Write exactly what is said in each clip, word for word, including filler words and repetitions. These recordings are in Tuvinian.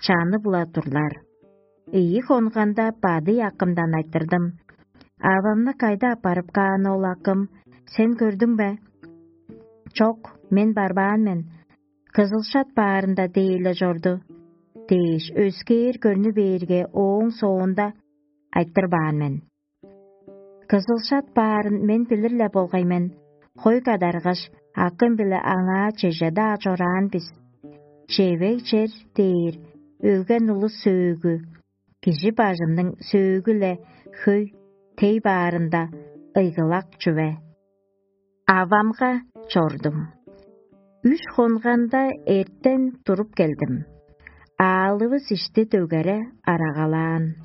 чаны-була турлар. Ийи хонганда бадый акымдан айтырдым: «Авамны кайда аппарып каан ол акым, сен көрдүң бе?» «Чок, мен барбаан мен, кызылшат баарында дээли чорду» – дээш, өскээр көрнү бээрге, ооң соонда айтырбаан мен. Кызылшат баарын мен билир-ле болгай мен, хой кадаргаш, акым-биле аңаа чеже-даа чораан бис. Чевег чер дээр өлген улус сөөгү, кижи бажымның сөөгү-ле хөй тей баарында ыйгылак чүве. Авамга чордум. Үш хонганда эртен туруп келдим. Аалывыс ишти дөгере арагалаан.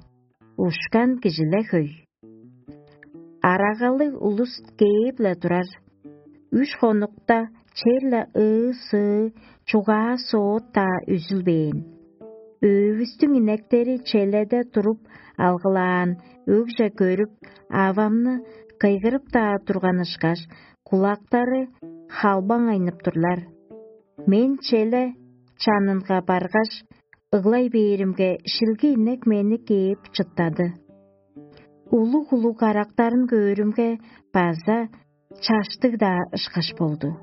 Ушкан кижиле хөй. Арагалыг улус кээп-ле турар. Үш хонукта черле ыы-сыы, чугаа-соот-даа үзүлбээн. Өвүстүң инектери челеде туруп алгылаан өгже көрүп, авамны кыйгырып-даа турган ышкаш, кулактары халбаң айнып турлар. Мен челе чанынга баргаш, ыглай бээримге, шилги инек мени кээп чыттады. Улуг-улуг карактарын көөрүмге, база чаштыг-даа ышкаш болду.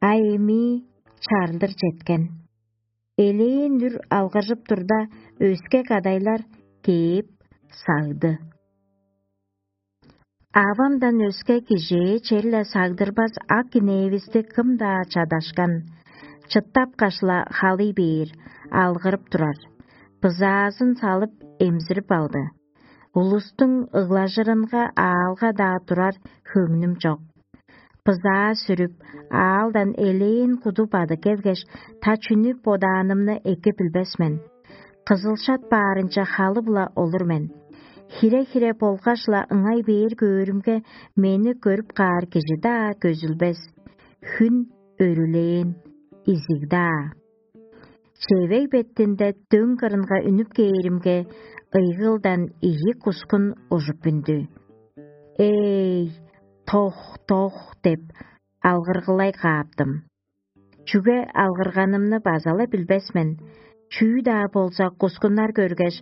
А эмии чарлыр четкен. Элээн үр алгыржып турда, өске кадайлар кээп сагды. Авамдан өске кижээ черле сагдырбас ак инээвисти кым-даа чадашкан, чыттапкаш-ла халый бээр, алгырып турар. Бызаазын салып, эмзирип алды. Улустуң ыглажырынга аалга-даа турар хөңнүм чок. Бызаа сүрүп, аалдан элээн куду бадып келгеш, та чүнү бодаанымны эки билбес мен. Кызылшат баарынче халы-биле олур мен. Хире-хире болгаш-ла ыңай бээр көөрүмге, мени көрүп каар кижи-даа көзүлбес. Хүн өрүлээн, изиг-даа. Чевег бетинде дөң кырынга үнүп кээримге, ыйгылдан ийи кускун ужуп үнду. «Эй, тох, тох!» – деп алгыргылай кааптым. Чүге алгырганымны база-ла билбес мен. Чүү-даа болза, кускуннар көргеш,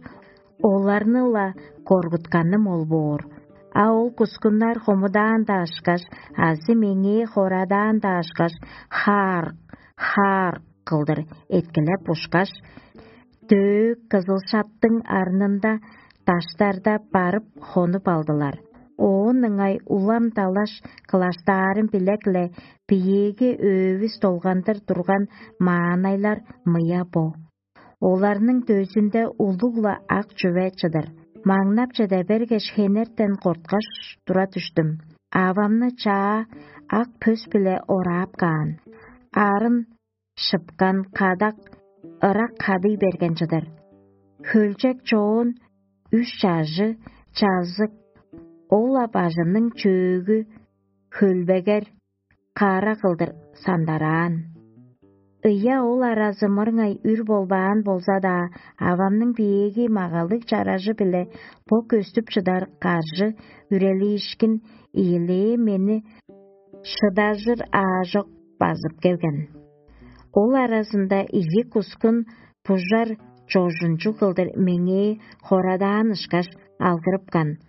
оларны-ла коргутканым ол боор. А ол кускуннар хомудаан-даа ышкаш, азы меңээ хорадаан-даа ышкаш, хаар, хаар кылдыр эткилеп ушкаш, дөө кызыл шаптың арнында даштарда барып хонуп алдылар. Оон ыңай улам далаш кылаштаарын билек-ле, биеэги өвүс долгандыр турган маанайлар мыя бо. Оларның дөзүнде улуг-ла ак чүве чыдыр. Маңнап чеде бергеш, хенертен корткаш тура дүштүм. Авамны чаа ак пөс-биле ораап каан. Арын шыпкан кадак ырак кадый берген чыдыр. Хөлчек чоон үш чажы, чазык, ол-ла бажымның чөөгү хөлбегер, кара кылдыр сандараан. Ыяа ол аразы мырыңай үр болбаан болза-даа, авамның биеэги магалыг чаражы-биле бо көстүп чыдар каржы үрелиишкин ийилээ мени шыдажыр аажок базып келген. Ол аразында ийи кускун бужар чожунчуг кылдыр меңээ хорадаан ышкаш алгырыпкан.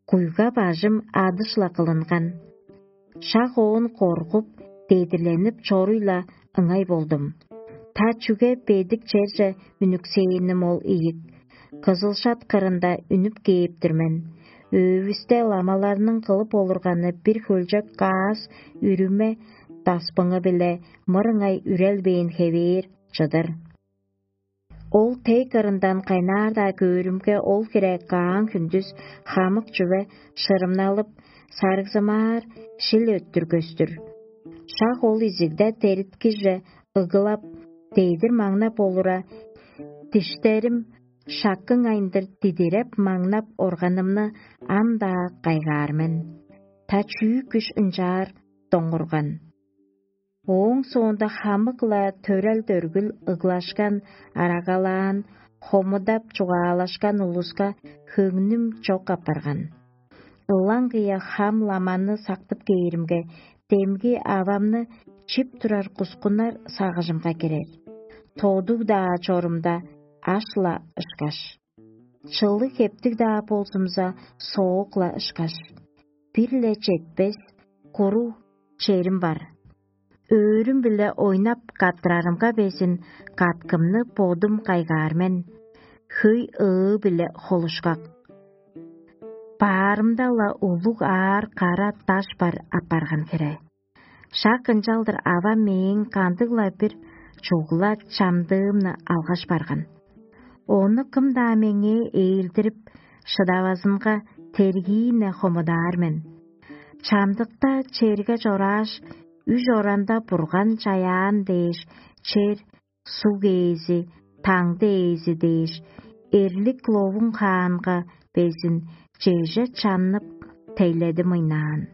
Куйга бажым адыш-ла кылынган. Шак оон коргуп, дедирленип чоруй-ла ыңай болдум. Та чүге бедик черже үнүксээним ол ийик. Кызылшат кырында үнүп кээп-тир мен. Өвүсте ламаларның кылып олурганы бир хөлчек каас үрүме даспыңы-биле мырыңай үрелбээн хевээр чыдыр. Ол тей кырындан кайнаар-даа көөрүмге, ол хире каан хүндүс хамык чүве шырымналып, сарыгзымаар шил өттүр көстүр. Шак ол изигде дериткиже ыгылап, дедир маңнап олура, диштерим шаккың айындыр дидиреп маңнап органымны ам-даа кайгаар мен. Та чүү күш ынчаар доңурган. Ооң соонда хамык-ла төрел-дөргүл ыглашкан, арагалаан, хомудап чугаалашкан улуска хөңнүм чок апарган. Ылаңгыя хам ламаны сактып кээримге, демги авамны чип турар кускуннар сагыжымга кирер. Тодуг-даа чорумда, аш-ла ышкаш, чылыг хептиг-даа болзумза, соок-ла ышкаш, бир-ле четпес куруг черим бар. Өөрүм-биле ойнап каттырарымга безин, каткымны бодум кайгаар мен, хөй ыы-биле холушкак. Баарымда-ла улуг аар кара даш бар апарган хире. Шак ынчалдыр авам мээң кандыг-ла бир чугула чамдыымны алгаш барган. Ону кым-даа меңээ ээлдирип шыдавазынга, тергиин-не хомудаар мен. Чамдыкта черге чорааш, үш оранда Бурган чаяан дээш, чер, суг ээзи, таңды ээзи дээш, эрлик ловуң хаанга безин чеже чаннып, тейледи мыйнаан.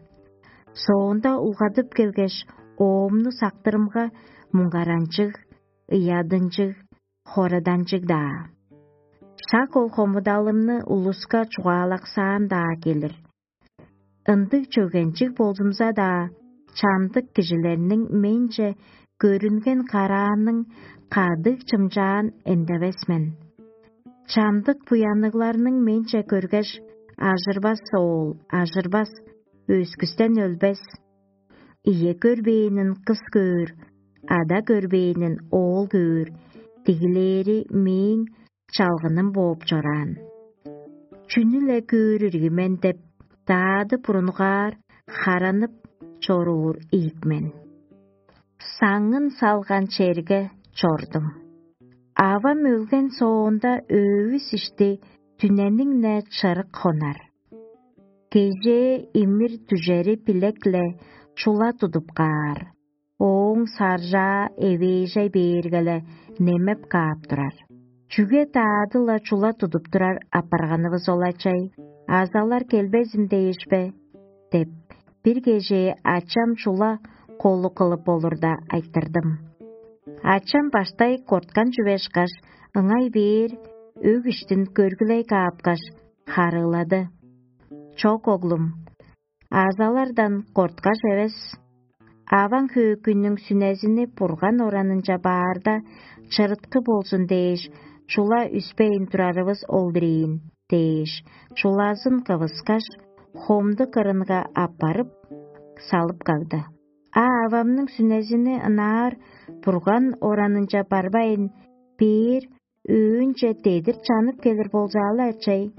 Соонда улгадып келгеш, оомну сактырымга, муңгаранчыг, ыядынчыг, хораданчыг-даа. Шак ол хомудалымны улуска чугаалаксаан-даа келир. Ындыг чөгенчиг болзумза-даа, чамдык кижилерниң менче көрүнген караанның кадыг чымчаан эндевес мен. Чамдык буянныгларның менче көргеш, ажырбас оол, ажырбас, өскүстен өлбес. Ийе көрбээнин кыс көөр, ада көрбээнин оол көөр, дигилээри мээң чалгыным бооп чораан. Чүнү-ле көөр ирги мен деп, даады бурунгаар харанып чоруур ийик мен. Саңын салган черге чордум. Авам өлген соонда, өвүс ишти дүнениң-не чырык хонар. Кежээ имир дүжери билек-ле чула тудуп каар. Ооң саржаа эвээжей бээрге-ле немеп каап турар. «Чүге даады-ла чула тудуп турар апарганывыс ол, ачай? Азалар келбезин дээш бе?» — деп, бир кежээ ачам чула колу кылып болурда айтырдым. Ачам баштай корткан чүве ышкаш, ыңай бээр өг иштин көргүлей каапкаш, харыылады: «Чок, оглум, азалардан корткаш эвес. Аваң хөөкүйнүң сүнезини Бурган оранынче баарда, чырыткы болзун дээш, чула үспейн турарывыс ол-дур ийин» — дээш, чулазын кывыскаш, хомду кырынга аппарып, салып кагды. А авамның сүнезини ынаар Бурган оранынче барбайн, бээр өөнче дедир чанып келир болза-ла, ачай?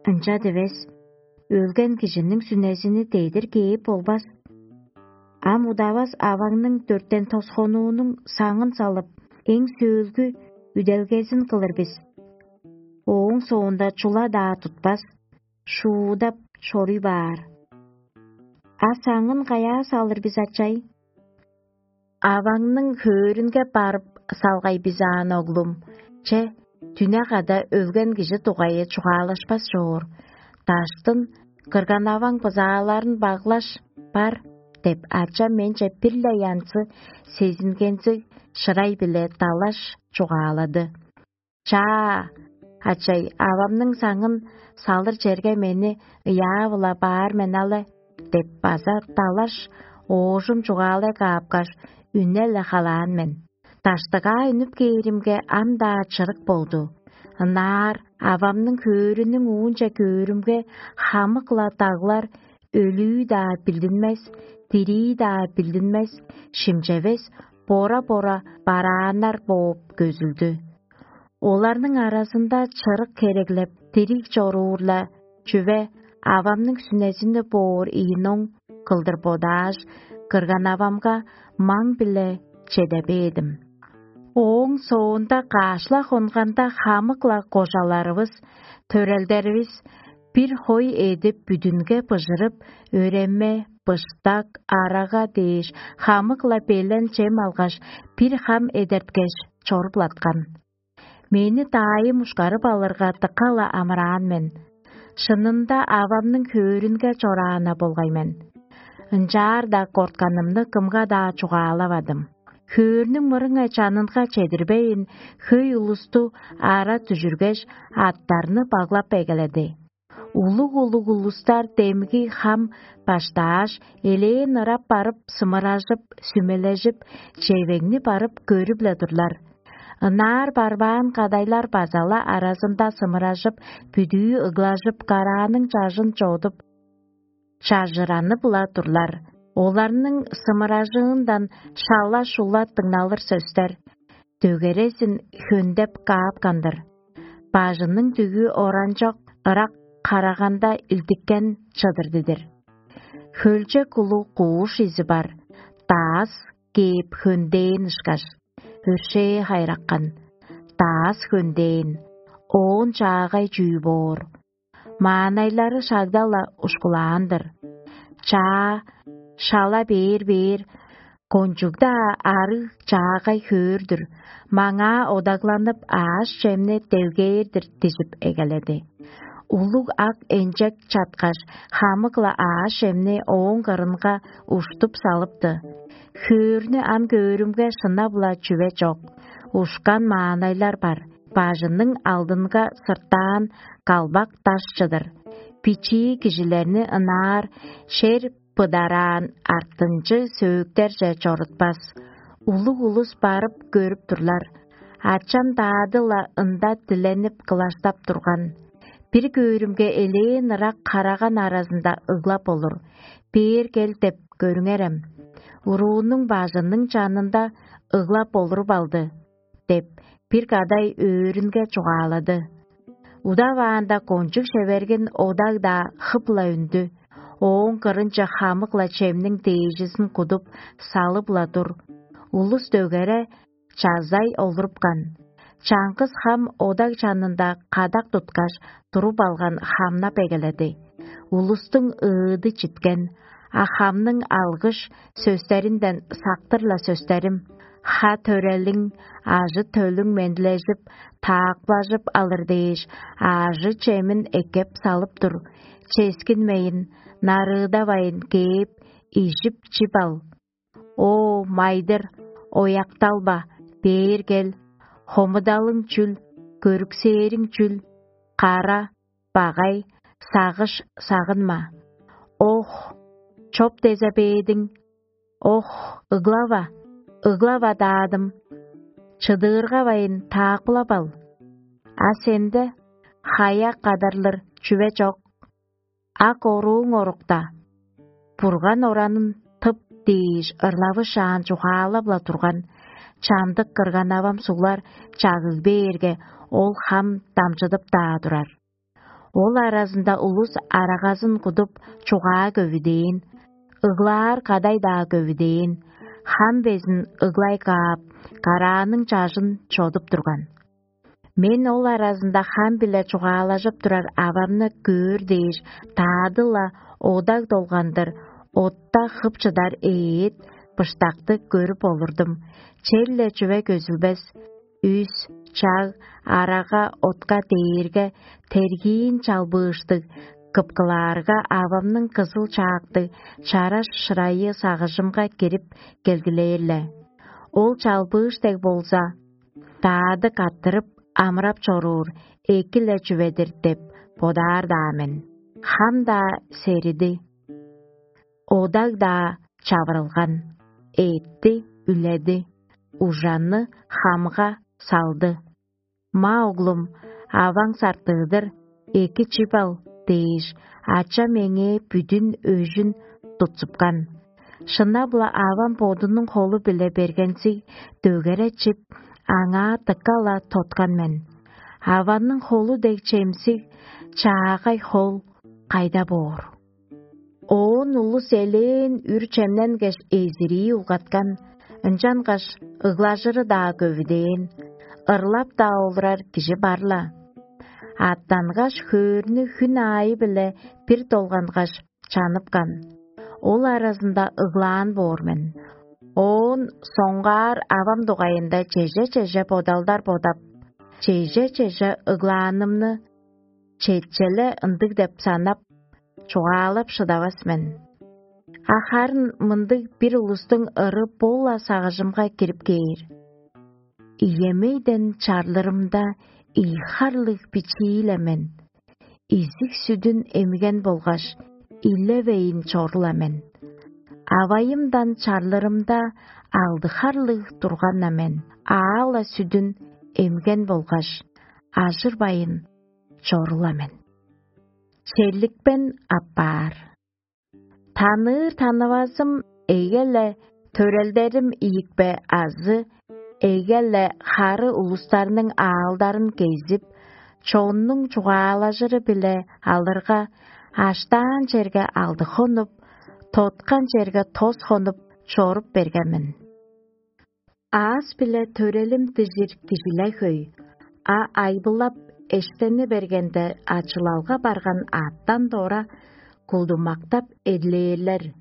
Ынча дивес, өлген кижиниң сүнезини дедир кээп болбас. Ам удавас аваңның дөртен тосхонуунуң саңын салып, эң сөөлгү үделгезин кылыр бис. Ооң соонда чула-даа тутпас, шуудап чоруй баар. А саңын каяа салыр бис, ачай? Аваңның хөөрүнге барып салгай бис аан, оглум. Че, дүне када өлген кижи дугайы чугаалашпас чоор. Даштын кырган-аваң бызааларын баглаш бар деп, ачам менче бир-ле янзы сезингензиг шырай-биле далаш чугаалады. «Чаа, ачай, авамның саңын салыр черге мени ыяап-ла баар мен але» — деп база далаш оожум чугаалай каапкаш, үне-ле халаан мен. Даштыгаа үнүп кээримге, ам-даа чырык болду. Ынаар авамның хөөрүнүң уунче көөрүмге, хамык-ла даглар өлүү-даа билдинмес, дирии-даа билдинмес, шимчевес, бора-бора барааннар бооп көзүлдү. Оларның аразында чырык хереглеп, дириг чоруур-ла чүве авамның сүнезини боор ийин оң кылдыр бодааш, кырган-авамга маң-биле чеде бээдим. Ооң соонда каш-ла хонганда, хамык-ла кожаларывыс, төрелдеривис бир хой эдип, бүдүнге быжырып, өреме, быштак, арага дээш, хамык-ла белен чем алгаш, бир хам эдерткеш, чоруп-ла аткан. Мени даайым ушкарып алырга, дыка-ла амыраан мен. Шынында авамның хөөрүнге чораан-на болгай мен. Ынчаар-даа кортканымны кымга-даа чугаалавадым. Хөөрнүң мырыңай чанынга чедирбейн, хөй улусту ара дүжүргеш, аттарны баглап эгеледи. Улуг-улуг улустар демги хам баштааш, элээн ырап барып, сымыражып, сүмележип, чевегни барып көрүп-ле турлар. Ынаар барбаан кадайлар база-ла аразында сымыражып, бүдүү ыглажып, карааның чажын чодуп, чажыранып-ла турлар. Оларның сымыражыындан шала-шула дыңналыр сөстер, дөгерезин хөндеп каапкан-дыр. Бажының дүгү оранчок ырак караганда илдиккен чыдыр-дидир. Хөлче кулуг кууш изи бар, даас кээп хөндээн ышкаш, өршээ хайраккан, даас хөндээн, оон чаагай чүү боор. Маанайлары шагда-ла ушкулаан-дыр. Чаа шала бээр-бээр, кончуг-даа арыг чаагай хөөр-дүр, маңаа одагланып, аъш-чемни делгээр-дир дижип эгеледи. Улуг ак энчек чаткаш, хамык-ла аъш-чемни ооң кырынга уштуп салыпты. Хөөрнү ам көөрүмге, шынап-ла чүве чок. Ушкан маанайлар бар. Бажының алдынга сыртаан калбак даш чыдыр. Бичии кижилерни ынаар шер быдараан артынчы сөөктерже чорутпас. Улуг улус барып көрүп турлар. Ачам даады-ла ында диленип кылаштап турган. Бир көөрүмге, элээн ырак караган аразында ыглап олур. «Бээр кел» деп көрүңерем. Уруунуң бажының чанында ыглап олуруп алды деп, бир кадай өөрүнге чугаалады. Удаваанда кончуг шевергин одаг-даа хып-ла үндү. Ооң кырынче хамык-ла чемниң дээжизин кудуп, салып-ла тур. Улус дөгере чазай олурупкан. Чаңгыс хам одаг чанында кадак туткаш, туруп алган хамнап эгеледи. Улустуң ыыды читкен, а хамның алгыш сөстеринден сактыр-ла сөстерим: «Ха-төрелиң, ажы-төлүң мендилежип, таакпылажып алыр дээш, аажы-чемин эккеп салып тур. Ческинмейн, нарыыдавайн кээп, ижип-чип ал. О, майдыр, оякталба, бээр кел. Хомудалың чүл, көрүксээриң чүл? Кара, багай, сагыш сагынма. Ох, чоп дезе бээдиң? Ох, ыглава, ыглава, даадым. Чыдыыргавайн, таакпылап ал. А сенде хая кадарлыр чүве чок. Ак орууң орукта. Бурган оранын тып» дээш, ырлавышаан чугаалап-ла турган. Чамдык кырган-авам суглар чагыг бээрге, ол хам дамчыдып-даа турар. Ол аразында улус арагазын кудуп, чугаа көвүдээн, ыглаар кадай-даа көвүдээн. Хам безин ыглай каап, карааның чажын чодуп турган. Мен ол аразында хам-биле чугаалажып турар авамны көөр дээш, даады-ла одаг долгандыр, отта хып чыдар эът, быштакты көрүп олурдум. Черле чүве көзүлбес: үс, чаг, арага, отка, дээрге, тергиин чалбыыштыг, кыпкылаарга, авамның кызыл чаактыг чараш шырайы сагыжымга кирип келгилээр-ле. Ол чалбыыш дег болза, даады каттырып амырап чоруур эки-ле чүве-дир деп бодаар-даа мен. Хам-даа сериди, одаг-даа чавырылган, эътти үледи, ужанны хамга салды. «Ма, оглум, аваң сартыыдыр, эки чип ал» дээш, ачам меңээ бүдүн өжүн тутсупкан. Шынап-ла, авам бодунуң холу-биле бергензиг дөгере чип, аңаа дыка-ла тоткан мен. Авамның холу дег чемсиг, чаагай хол кайда боор? Оон улус элээн үр чемненгеш, эзирии улгаткан, ынчангаш ыглажыры-даа көвүдээн, ырлап-даа олурар кижи бар-ла. Аттангаш, хөөрнү хүн аайы-биле бир долгангаш, чаныпкан. Ол аразында ыглаан боор мен. Оон соңгаар авам дугайында чеже-чеже бодалдар бодап, чеже-чеже ыглаанымны четчеле ындыг деп санап, чугаалап шыдавас мен. А харын мындыг бир улустуң ыры бо-ла сагыжымга кирип кээр: «Иемейден чарлырымда ийи харлыг бичии-ле мен, изиг-сүдүн эмген болгаш, илевейн чору-ла мен. Авайымдан чарлырымда Алды харлыг турган-на мен, аала сүдүн эмген болгаш, ажырбайын чорула мен. Черликпен аппаар. Таныыр танывазым эге-ле төрелдерим ийикпе азы эге-ле хары улустарның аалдарын кезип, чоннуң чугаалажыры-биле алырга, аштаан черге алды хонуп, тоткан черге тос хонуп чоруп берген мен. Аас-биле төрелим дижир кижиле хөй, а айбылап эштени бергенде, ачылалга барган аъттан дора кулдумактап эдилээрлер.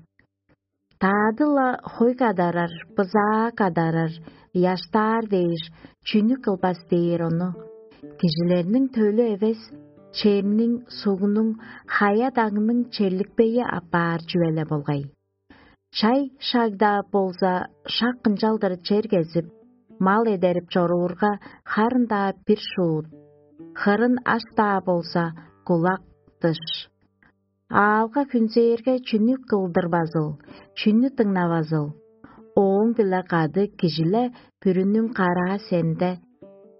Таады-ла хой кадарар, бызаа кадарар, ыяштаар дээш, чүнү кылбас дээр ону? Кижилерниң төлү эвес, чемниң, сугнуң, хая-дагның черликпейи аппаар чүве-ле болгай. Чай шагда болза, шак ынчалдыр чер кезип, мал эдерип чоруурга, харын-даа бир шуут, хырын аш-даа болза, кулак дыш. Аалга хүнзээрге, чүнү кылдырбазыл, чүнү дыңнавазыл? Ооң-биле кады кижиле бүрүнүң караа сенде,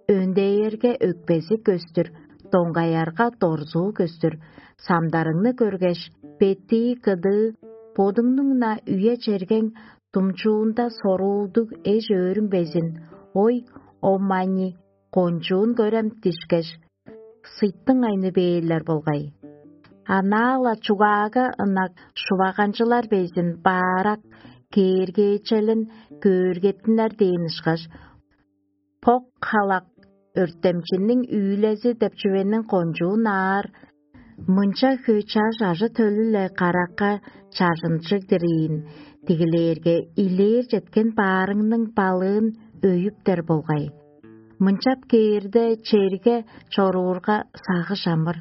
өндээрге өкпези көстүр, доңгаярга дорзуу көстүр, самдарыңны көргеш, беттии кыдыы, бодуңнуң-на үе-чергең думчуунда соруулдуг эш-өөрүң безин, ой, оммани, кончуун көрем дишкеш, сыйттың айны бээрлер болгай. Анаа-ла чугаага ынак шуваганчылар безин баарак кээргээчелин көөргеттинер дээн ышкаш, бок халак өртемчинниң үүлези деп чүвениң кончуун аар, мынча хөй чаш ажы-төлү-ле каракка чажынчыг-дыр ийин, дигилээрге, илээр четкен баарыңның балыын өйүптер болгай. Мынчап кээрде, черге чоруурга сагыш амыр,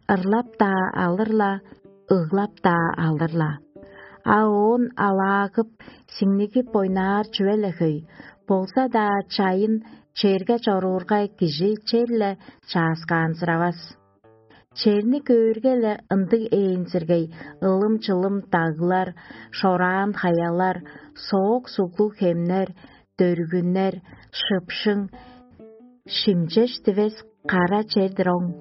ырлап-даа алыр-ла, ыглап-даа алыр-ла. А оон алаагып, сиңнигип ойнаар чүве-ле хөй, болза-даа чайын черге чоруурга кижи черле чааскаанзыравас. Черни көөрге-ле ындыг ээнзиргей, ылым-чылым даглар, шораан хаялар, соок суглуг хемнер, дөргүннер, шыпшың, шимчеш дивес кара чер-дир оң.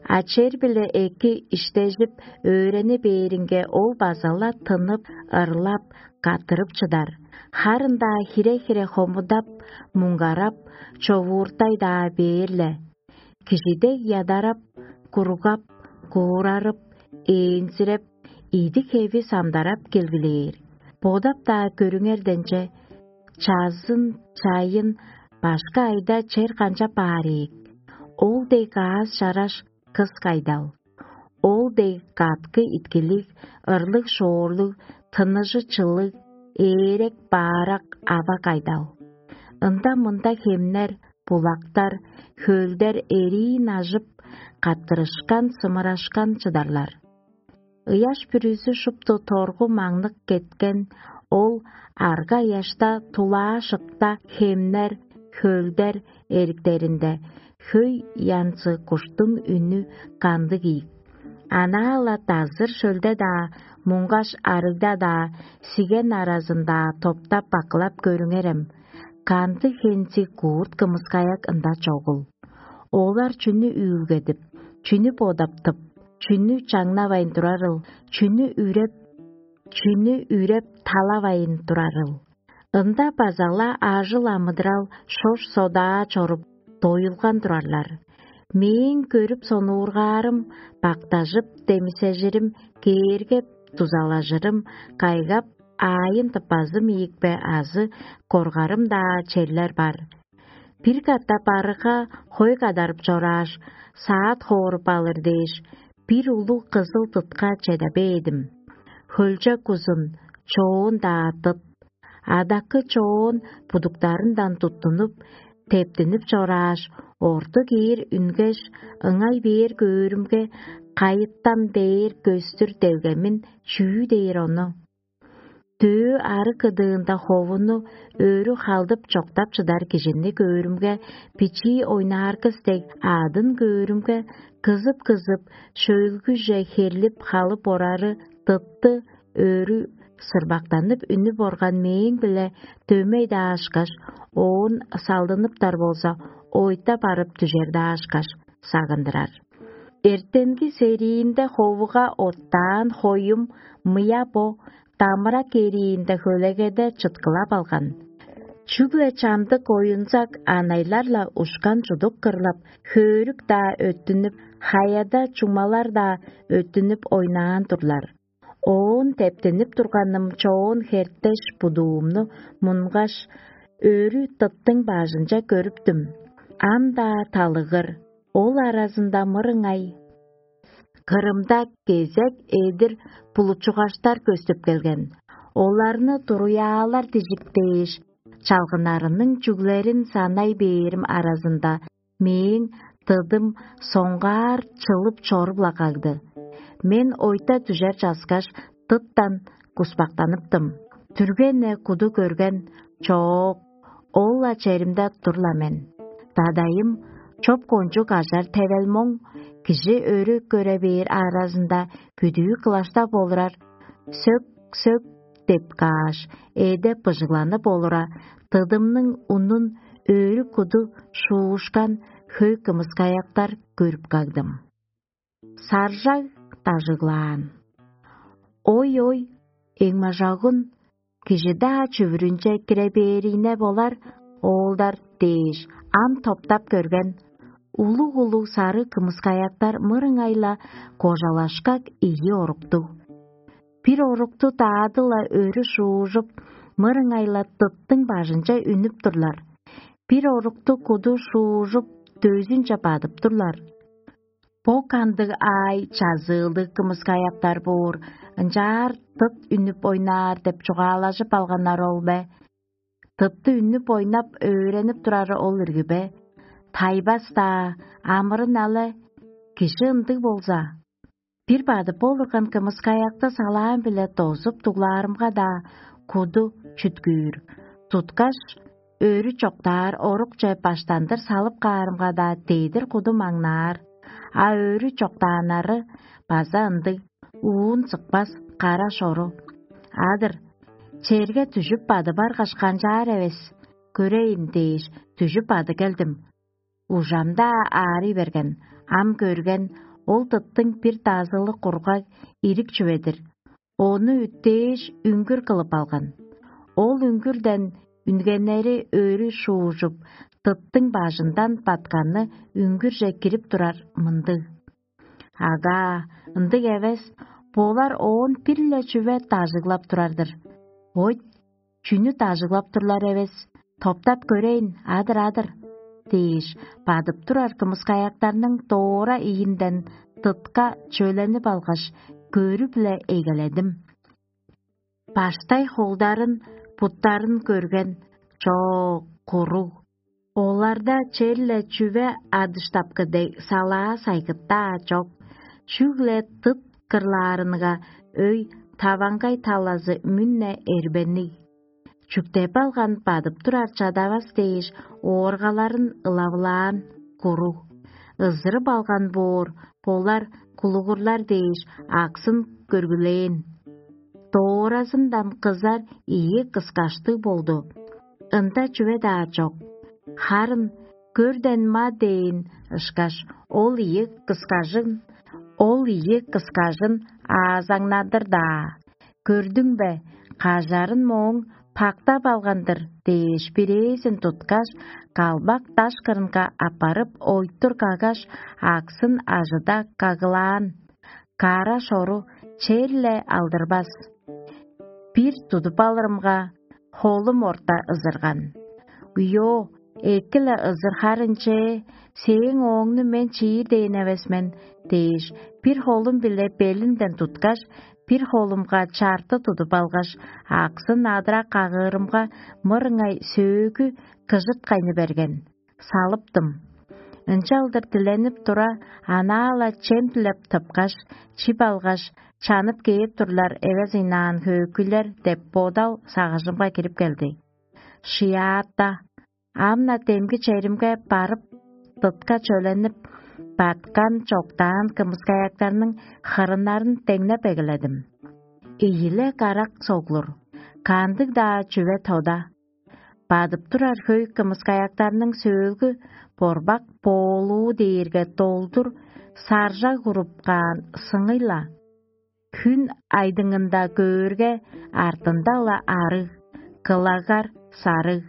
А чер-биле эки иштежип, өөрени бээринге, ол база-ла тынып, ырлап, каттырып чыдар. Харын-даа хире-хире хомудап, муңгарап, човууртай-даа бээр-ле. Кижи дег ядарап, куругап, куурарып, ээнзиреп, идик-хеви самдарап келгилээр. Бодап-даа көрүңерденче, чазын, чайын, башкы айда чер канчап баар ийик? Ол дег аас-чараш кыс кайдал? Ол дег каткы иткилиг, ырлыг-шоорлуг, тыныжы чылыг, ээрек-баарак ава кайдал? Ында-мында хемнер, булактар, хөлдер эриин ажып, каттырышкан-сымырашкан чыдарлар. Ыяш бүрүзү шупту торгу маңнык кеткен, ол арга-ыяшта тулаа-шыкта хемнер, хөлдер эриктеринде хөй янзы куштуң үнү кандыг ийик? Анаа-ла дазыр шөлде-даа, муңгаш арыгда-даа, сиген аразын-даа топтап-бакылап көрүңерем, кандыг хензиг куурт кымыскаяк ында чогул. Олар чүнү үүлгедип, чүнү бодап тып, чүнү чаңнавайн турарыл, чүнү үреп, чүнү үреп талавайн турарыл? Ында база-ла ажыл-амыдырал шош-содаа чоруп, доюлган турарлар. Мээң көрүп сонуургаарым, бактажып демисежирим, кээргеп дузалажырым, кайгап аайын тыппазым ийикпе азы коргарым-даа черлер бар. Бир катап арыга хой кадарып чорааш, саат хооруп алыр дээш, бир улуг кызыл дытка чеде бээдим. Хөлчок узун, чоон-даа дыт. Адакы чоон будуктарындан туттунуп, тептинип чорааш, орты киир үнгеш, ыңай бээр көөрүмге, кайыттан бээр көстүр делгемин чүү дээр ону? Дөө ары кыдыында ховуну өрү халдып чоктап чыдар кижини көөрүмге, бичии ойнааргыс дег аъдын көөрүмге, кызып-кызып, шөлгүже херлип халып орары дытты өрү Сырбактанып үнүп орган мээң-биле дөмей-даа ышкаш, оон салдыныптар болза, ойта барып дүжер-даа ышкаш, сагындырар. Эртенги сериинде ховуга оттаан хоюм мыя бо дамырак эриинде хөлегеде чыткылап алган. Чүгле чамдык оюнзак анайлар-ла ушкан чудук кырлап, хөөрүк-даа өттүнүп, хаяда чуңмалар-даа өттүнүп ойнаан турлар. Оон тептенип турганым чоон херттеш будуумну мунгаш, өрү тыттың бажынче көрүптүм. Ам-даа талыгыр, ол аразында мырыңай кырымда кезек эдир булучугаштар көстүп келген. Оларны туруяалар дижип дээш, чалгынарының чүглерин санай бээрим аразында мээң тыдым соңгаар чылып чоруп-ла кагды. Мен ойта дүжер часкаш, тыттан куспактаныптым. Түргене куду көрген чоок, ол-ла черимде тур-ла мен. Дадайым чоп кончуг ажар тевел моң, кижи өрү көре бээр аразында бүдүү кылаштап олурар, сөк-сөк деп кааш, эде быжыгланып олура, тыдымның унун өрү куду шуушкан хөй кымыскаяктар көрүп кагдым. Саржаг дажыглаан. Ой-ой, эңмажагын, кижи-даа чүвүрүнче кире бээрине болар, оолдар дээш, ам топтап көрген, улуг-улуг сары кымыскаяктар мырыңай-ла кожалашкак ийи оруктуг. Бир орукту даады-ла өрү шуужуп, мырыңай-ла тыттың бажынче үнүп турлар. Бир орукту куду шуужуп, дөзүнче бадып турлар. Бо кандыг аай чазыылдыг кымыскаяктар боор, ынчаар тыт үнүп ойнаар деп чугаалажып алганнар ол бе? Тытты үнүп ойнап өөренип турары ол ирги бе? Тайбас-даа, амырын але, кижи ындыг болза. Бир бадып олурган кымыскаякты салаам-биле дозуп дуглаарымга-даа куду чүткүүр. Туткаш, өрү чоктаар орукче баштандыр салып каарымга-даа дедир куду маңнаар, а өрү чоктааннары база ындыг уун сыкпас кара шору. Адыр, черге дүжүп бады баргаш канчаар эвес, көрейн дээш, дүжүп бады келдим. Ужамда аарый берген, ам көрген, ол тыттың бир дазылы кургаг ирик чүве-дир. Ону үттээш үңгүр кылып алган. Ол үңгүрден үнгеннери өрү шуужуп, тыттың бажындан батканы үңгүрже кирип турар мындыг. Ага, ындыг эвес, болар оон бир-ле чүве дажыглап турар-дыр. Ойт, чүнү дажыглап турлар эвес, топтап көрейн, адыр-адыр дээш, бадып турар кымыскаяктарның доора ийинден тытка чөленип алгаш, көрү-биле эгеледим. Баштай холдарын, буттарын көрген, чоо, куруг. Оларда черле чүве адыштапкы дег салаа сайгыттаа чок, чүгле тыт кырлаарынга өй таваңгай талазы мүнне эрбенниг. Чүктеп алган бадып турар чадавас дээш ооргаларын ылавылаан куруг. Ызырып алган боор болар кулугурлар дээш аксын көргүлээн. Дооразындан кызар ийи кыскаштыг болду. Ында чүве-даа чок. Харын көрден ма дээн ышкаш, ол ийи кыскажын, ол ийи кыскажын аазаңнадыр-даа. Көрдүң бе, кажарын мооң пактап алган-дыр дээш, бирээзин туткаш, калбак даш кырынга аппарып, ойтур каггаш, аксын ажыда кагылаан. Кара шору черле алдырбас. Бир тудуп алырымга, холум орта ызырган. Уйо, эки-ле ызырхарынче, сээң ооңну мен чиир дээн эвес мен дээш, бир холум-биле белинден туткаш, бир холумга чарты тудуп алгаш, аксын адыра кагыырымга, мырыңай сөөгү кыжыткайны берген. Салыптым. Ынчалдыр диленип тура, анаа-ла чем дилеп тыпкаш, чип алгаш, чанып кээп турлар эвес ыйнаан хөөкүйлер деп бодал сагыжымга кирип келди. Шыяатта, ам-на демги черимге барып, тытка чөленип, баткан-чоктаан кымыскаяктарның хырыннарын деңнеп эгеледим. ийиле карак соглур, кандыг-даа чүве тода. Бадып турар хөй кымыскаяктарның сөөлгү борбак боолуу дээрге долдур саржаг уруп каан сыңый-ла. Хүн айдыңында көөрге, артында-ла арыг, кылагар сарыг,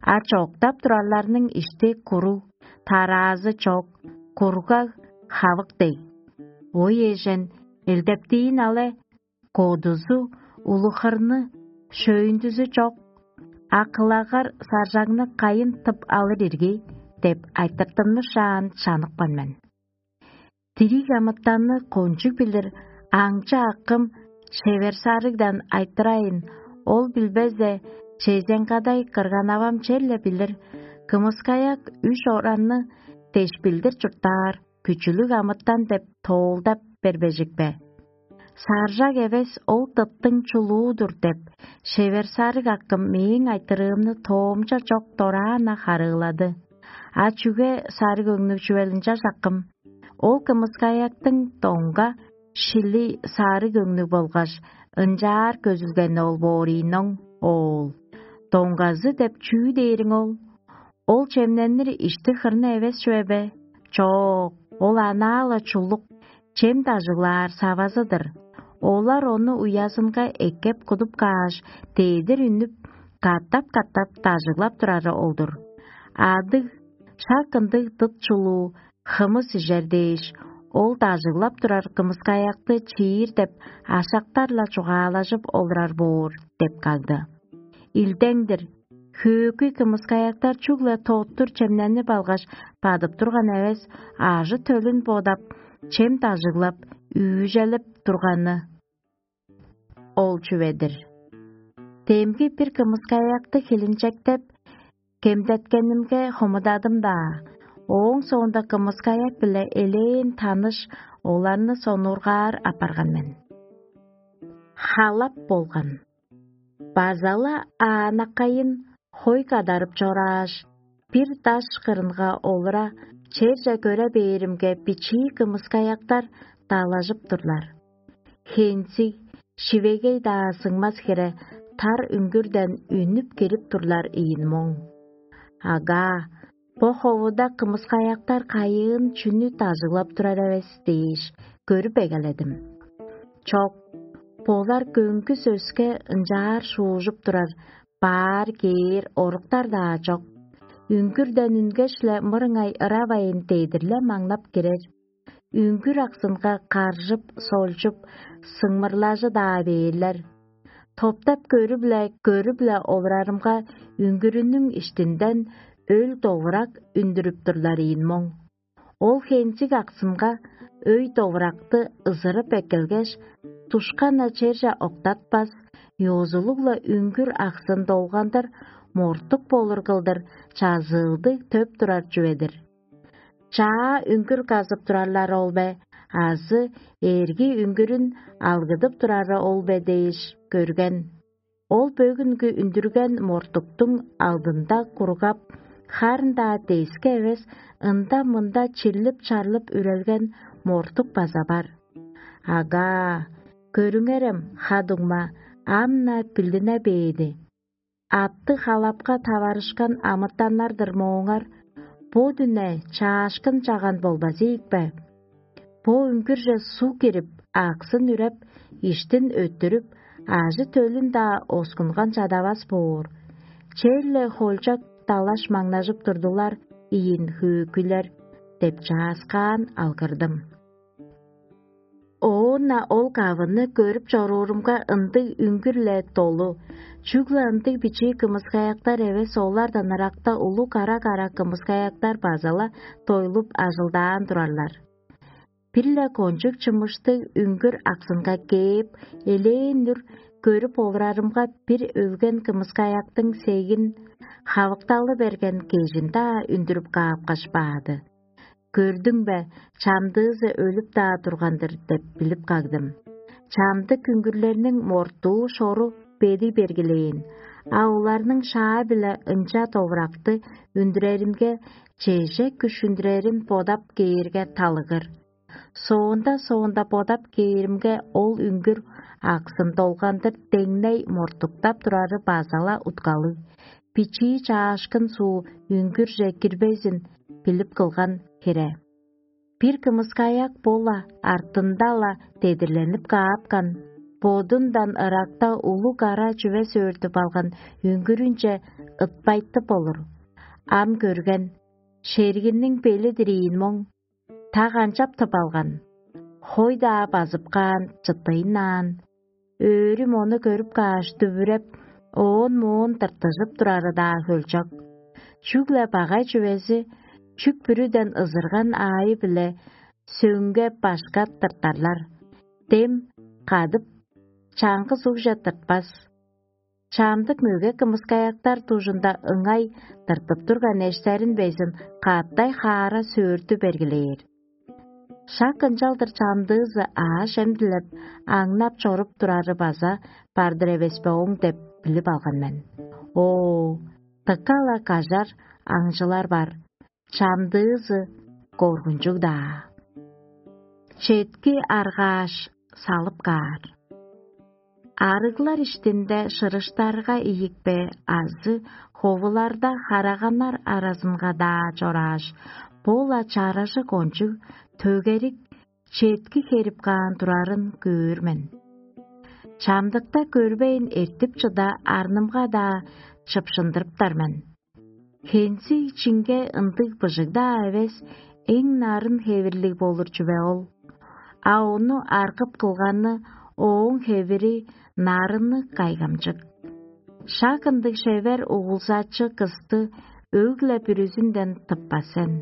а чоктап турарларның ишти куруг, тараазы чок, кургаг хавык дег. Ой эжен, элдептиин але, кодузу, улухарны, шөөйүндүзү чок, а кылагар саржагны кайын тып алыр ирги деп айтыртынмышаан чаныкпан мен. Дириг амытанны кончуг билир аңчы акым шевер сарыгдан айтырайын, ол билбезде, чезең кадай кырган-авам черле билир, кымыскаяк үш оранны дешпилдир чурттаар, күчүлүг амытан деп тоолдап бербежик бе? Саржак эвес, ол тыттың чулуу-дур деп, шевер сарыг акым мээң айтырыымны тоомча чок дораан-на харыылады. А чүге сарыг өңнүг чүвел ынча чаккым? Ол кымыскаяктың доңга шили сарыг өңнүг болгаш ынчаар көзүлгени ол боор ийин оң, оол. Доңгазы деп чүү дээриң ол? Ол чемненир ишти хырны эвес чүве бе? Чок, ол анаа-ла чулук, чем дажыглаар савазы-дыр. Олар ону уязынга эккеп кудуп кааш, дедир үнүп, катап-катап дажыглап турары ол-дур. Адыг, шак ындыг дыт чулуу, хымыс ижер дээш, ол дажыглап турар кымыскаякты чиир деп ашактар-ла чугаалажып олурар боор деп кагды. Илдең-дир, хөөкүй кымыскаяктар чүгле тоттур чемненип алгаш, бадып турган эвес, ажы-төлүн бодап, чем дажыглап, үүжелеп турганы ол чүве-дир. Демги бир кымыскаякты хилинчектеп, кемдеткенимге хомудадым-даа, ооң соонда кымыскаяк-биле элээн таныш, оларны сонуургаар апарган мен. Халап болган. База-ла аанаккайын хой кадарып чорааш, бир даш кырынга олура, черже көре бээримге, бичии кымыскаяктар далажып турлар. Хензиг, шивегей-даа сыңмас хире тар үңгүрден үнүп кирип турлар ийин моң. Агаа, бо ховуда кымыскаяктар кайыын чүнү дажыглап турар эвес дээш, көрүп эгеледим. Чок, болар көңгүс өске ынчаар шуужуп турар, баар кээр оруктар-даа чок. Үңгүрден үнгеш-ле мырыңай ыравайн дедир-ле маңнап кирер. Үңгүр аксынга каржып, солчуп, сыңмырлажы-даа бээрлер. Топтап көрүп-ле, көрүп-ле олурарымга, үңгүрүнүң иштинден өл довурак үндүрүп турлар ийин моң. Ол хензиг аксымга өй довуракты ызырып эккелгеш, душкан-на черже октатпас, ёзулуг-ла үңгүр аксын долгандыр, мортук болур кылдыр чазыылдыг төп турар чүве-дир. Чаа үңгүр казып турарлары ол бе, азы эрги үңгүрүн алгыдып турары ол бе дээш көрген. Ол бөгүнгү үндүрген мортуктуң алдында кургап, харын-даа дески эвес, ында-мында чирлип-чарлып үрелген мортук база бар. Агаа, көрүңерем, ха-дуңма, ам-на билдине бээди. Атты халапка таварышкан амытаннар-дыр мооңар, бо дүне чаашкын чаган болбазы ийикпе? Бо үңгүрже суг кирип, аксын үреп, иштин өттүрүп, ажы-төлүн-даа оскунган чадавас боор. Черле холчак далаш маңнажып турдулар ийин хөөкүйлер деп чааскаан алгырдым. Оон-на ол кавыны көрүп чоруурумга, ындыг үңгүр-ле долу, чүгле ындыг бичии кымыскаяктар эвес, олардан ыракта улуг кара-кара кымыскаяктар база-ла дойлуп ажылдаан турарлар. Бир-ле кончуг чымыштыг үңгүр аксынга кээп, элээн-дүр көрүп олурарымга, бир өлген кымыскаяктың сегин хавыкталы берген кежин-даа үндүрүп каапкаш баады. «Көрдүң бе, чамдыызы өлүп-даа турган-дыр» деп билип кагдым. Чамдык үңгүрлерниң мортуу шору бедий бергилээн, а оларның шаа-биле ынча довуракты үндүреримге, чеже күш үндүрерин бодап кээрге, талыгыр. Соонда-соонда бодап кээримге, ол үңгүр аксын долгандыр деңней мортуктап турары база-ла уткалыг, бичии чаашкын суу үңгүрже кирбезин билип кылган хире. Бир кымыскаяк бо-ла артында-ла дедирленип каапкан, бодундан ыракта улуг ара чүве сөөртүп алган үңгүрүнче ытпайтып болур. Ам көрген, шергинниң бели дириин моң, та канчап тып алган, хой-даа базып каан чыттыйнаан, өөрүм ону көрүп кааш дүвүреп, оон-моон тыртыжып турары-даа хөлчок. Чүгле багай чүвези чүк бүрүден ызырган аайы-биле сөңге башка тыртарлар. Дем кадып, чаңгыс угже тыртпас. Чамдык мөге кымыскаяктар дужунда ыңай тыртып турган эштерин безин каттай хаара сөөртү бергилээр. Шак ынчалдыр чамдыызы ааш-эм дилеп, аңнап чоруп турары база бар-дыр эвес бе оң деп билип алган мен. Оо, дыка-ла кажар аңчылар бар, чамдыызы коргунчуг-даа. Четки аргааш салып каар. Арыглар иштинде шырыштарга ийикпе азы ховуларда хараганнар аразынга-даа чорааш, бо-ла чаражы кончуг төгерик четки херип каан турарын көөр мен. Чамдыкта көрбейн эртип чыда арнымга-даа чыпшындырыптар мен. Хензиг чинге ындыг быжыг-даа эвес, эң нарын хевирлиг болур чүве ол. А ону аргып кылганы ооң хевири нарынныг кайгамчык. Шак ындыг шевер угулзачы кысты өг-ле бүрүзүнден тыппас сен.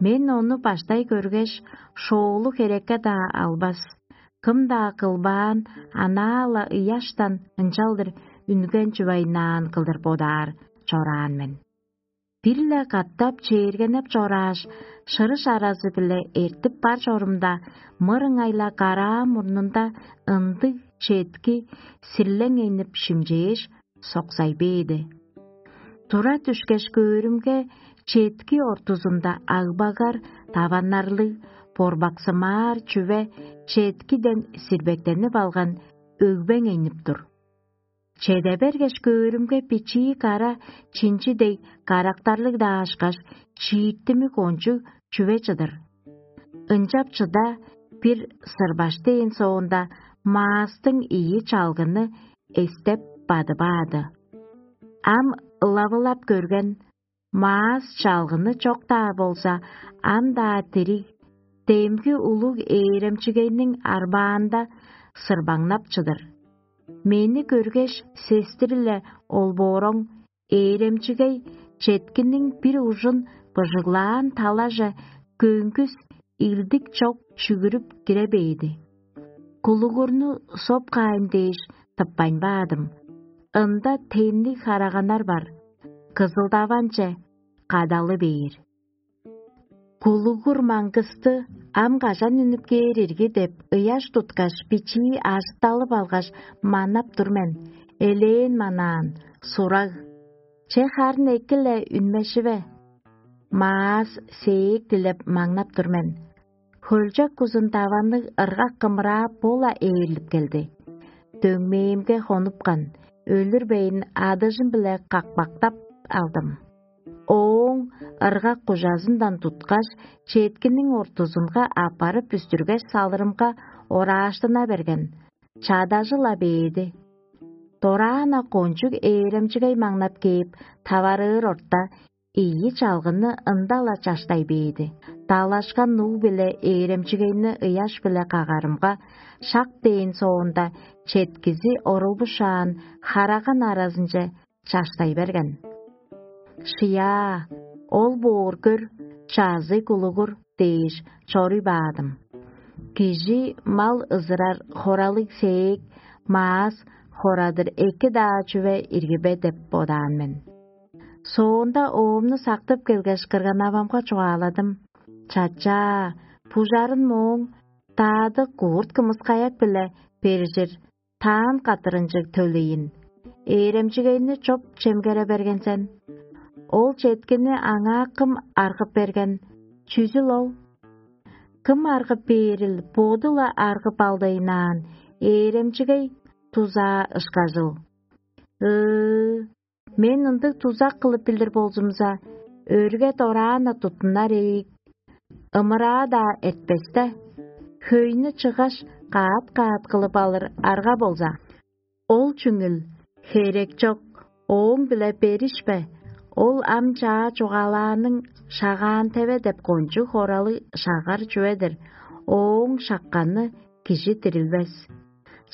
Мен ону баштай көргеш, шоолу херекке-даа албас, кым-даа кылбаан анаа-ла ыяштан ынчалдыр үнген чугайнаан кылдыр бодаар чораан мен. Бир-ле катап чээргенеп чорааш, шырыш аразы-биле эртип бар чорумда, мырыңай-ла караа мурнунда ындыг четки сирлең энип шимчээш, соксай бээди. Тура дүшкеш көөрүмге, четки ортузунда агбагар даваннарлыг, борбаксымаар чүве четкиден сирбектенип алган өгбең энип тур. Чеде бергеш көөрүмге, бичии кара чинчи дег карактарлыг-даа ышкаш, чииттими кончуг чүве чыдыр. Ынчап чыда бир сырбаш дээн соонда, маастың ийи чалгыны эстеп бадып аады. Ам ылавылап көрген, маас чалгыны чок-даа болза, ам-даа дириг, демги улуг ээремчигейниң арбаанда сырбаңнап чыдыр. Мени көргеш, сестири-ле ол бооруң ээремчигей четкиниң бир ужун быжыглаан талаже көңгүс илдик чок чүгүрүп кире бээди. Кулугурну соп каайн дээш тыппайн баадым. Ында темниг хараганнар бар, кызылдаванче кадалы бээр. Кулугур маңгысты ам кажан үнүп кээр ирги деп ыяш туткаш, бичии ажытталып алгаш, манап тур мен, элээн манаан, сураг. Че харын эки-ле үнмешиве? Маас сээк дилеп маңнап тур мен. Хөлчок кузун даванныг ыргак кымыраа бо-ла ээрлип келди. Дөңмээмге хонупкан, өлүрбейн, адыжым-биле какпактап алдым. Ооң ыргак кужазындан туткаш, четкиниң ортузунга аппарып бүстүргеш салырымга, орааштына берген, чадажы-ла бээди. Дораана кончуг ээремчигей маңнап кээп, таварыыр орта, ийи чалгыны ында-ла чаштай бээди. Далашкан нуу-биле ээремчигейни ыяш-биле кагарымга, шак дээн соонда четкизи орулбушаан, хараган аразынче чаштай берген. «Шыяа, ол боор көр, чазый кулугур» дээш, чоруй баадым. Кижи мал ызырар хоралыг сээк, маас хорадыр эки-даа чүве ирги бе деп бодаан мен. Соонда оомну сактып келгеш, кырган-авамга чугааладым: «Чачаа, бужарын мооң, даадык куурт кымыскаяк-биле бержир, таан каттырынчыг төлейин. Ээремчигейни чоп чемгере берген сен. Ол четкини аңаа кым аргып берген? Чүзүл ол? Кым аргып бээрил, боду-ла аргып алдайнаан, Ээремчигей дузаа ышкажыл: «Ыы, мен ындыг дузак кылып билир болзумза, өрге дораан-на туттунар ийик, ымыраа-даа эртпес-те, хөйнү чыггаш, каат-каат кылып алыр арга болза». Ол чүңүл херек чок, ооң-биле беришпе, ол ам чаа чугаалааның шагаан теве деп кончуг хоралыг шагар чүве-дир, ооң шакканы кижи дирилбес.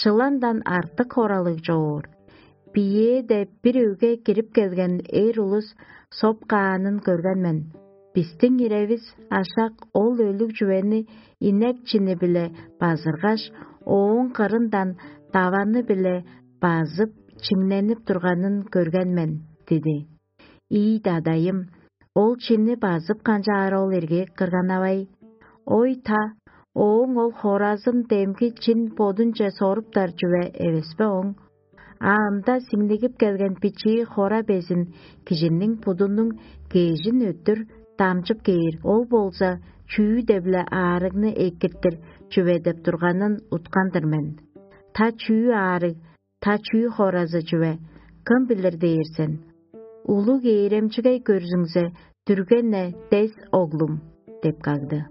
Чыландан артык хоралыг чоор. Биеэде бир өгге кирип келген эр улус соп каанын көрген мен. Бистиң иревис ашак ол өлүг чүвени инек чини-биле базыргаш, ооң кырындан даваны-биле базып, чиңненип турганын көрген мен, диди. Ийи дадайым, ол чини базып канчаар ол эрге кырганавай? Ой та, ооң ол хоразын демги чин бодунче соруптар чүве эвеспе оң? А ында сиңнигип келген бичии хора безин кижиниң будунуң кежин өттүр дамчып кээр, ол болза чүү-де-биле аарыгны экиртир чүве деп турганын уткан-дыр мен. Та чүү аарыг, та чүү хоразы чүве, кым билир дээр сен? Улуг ээремчигей көрзүңзе, дүрген-не дес, оглум, деп кагды.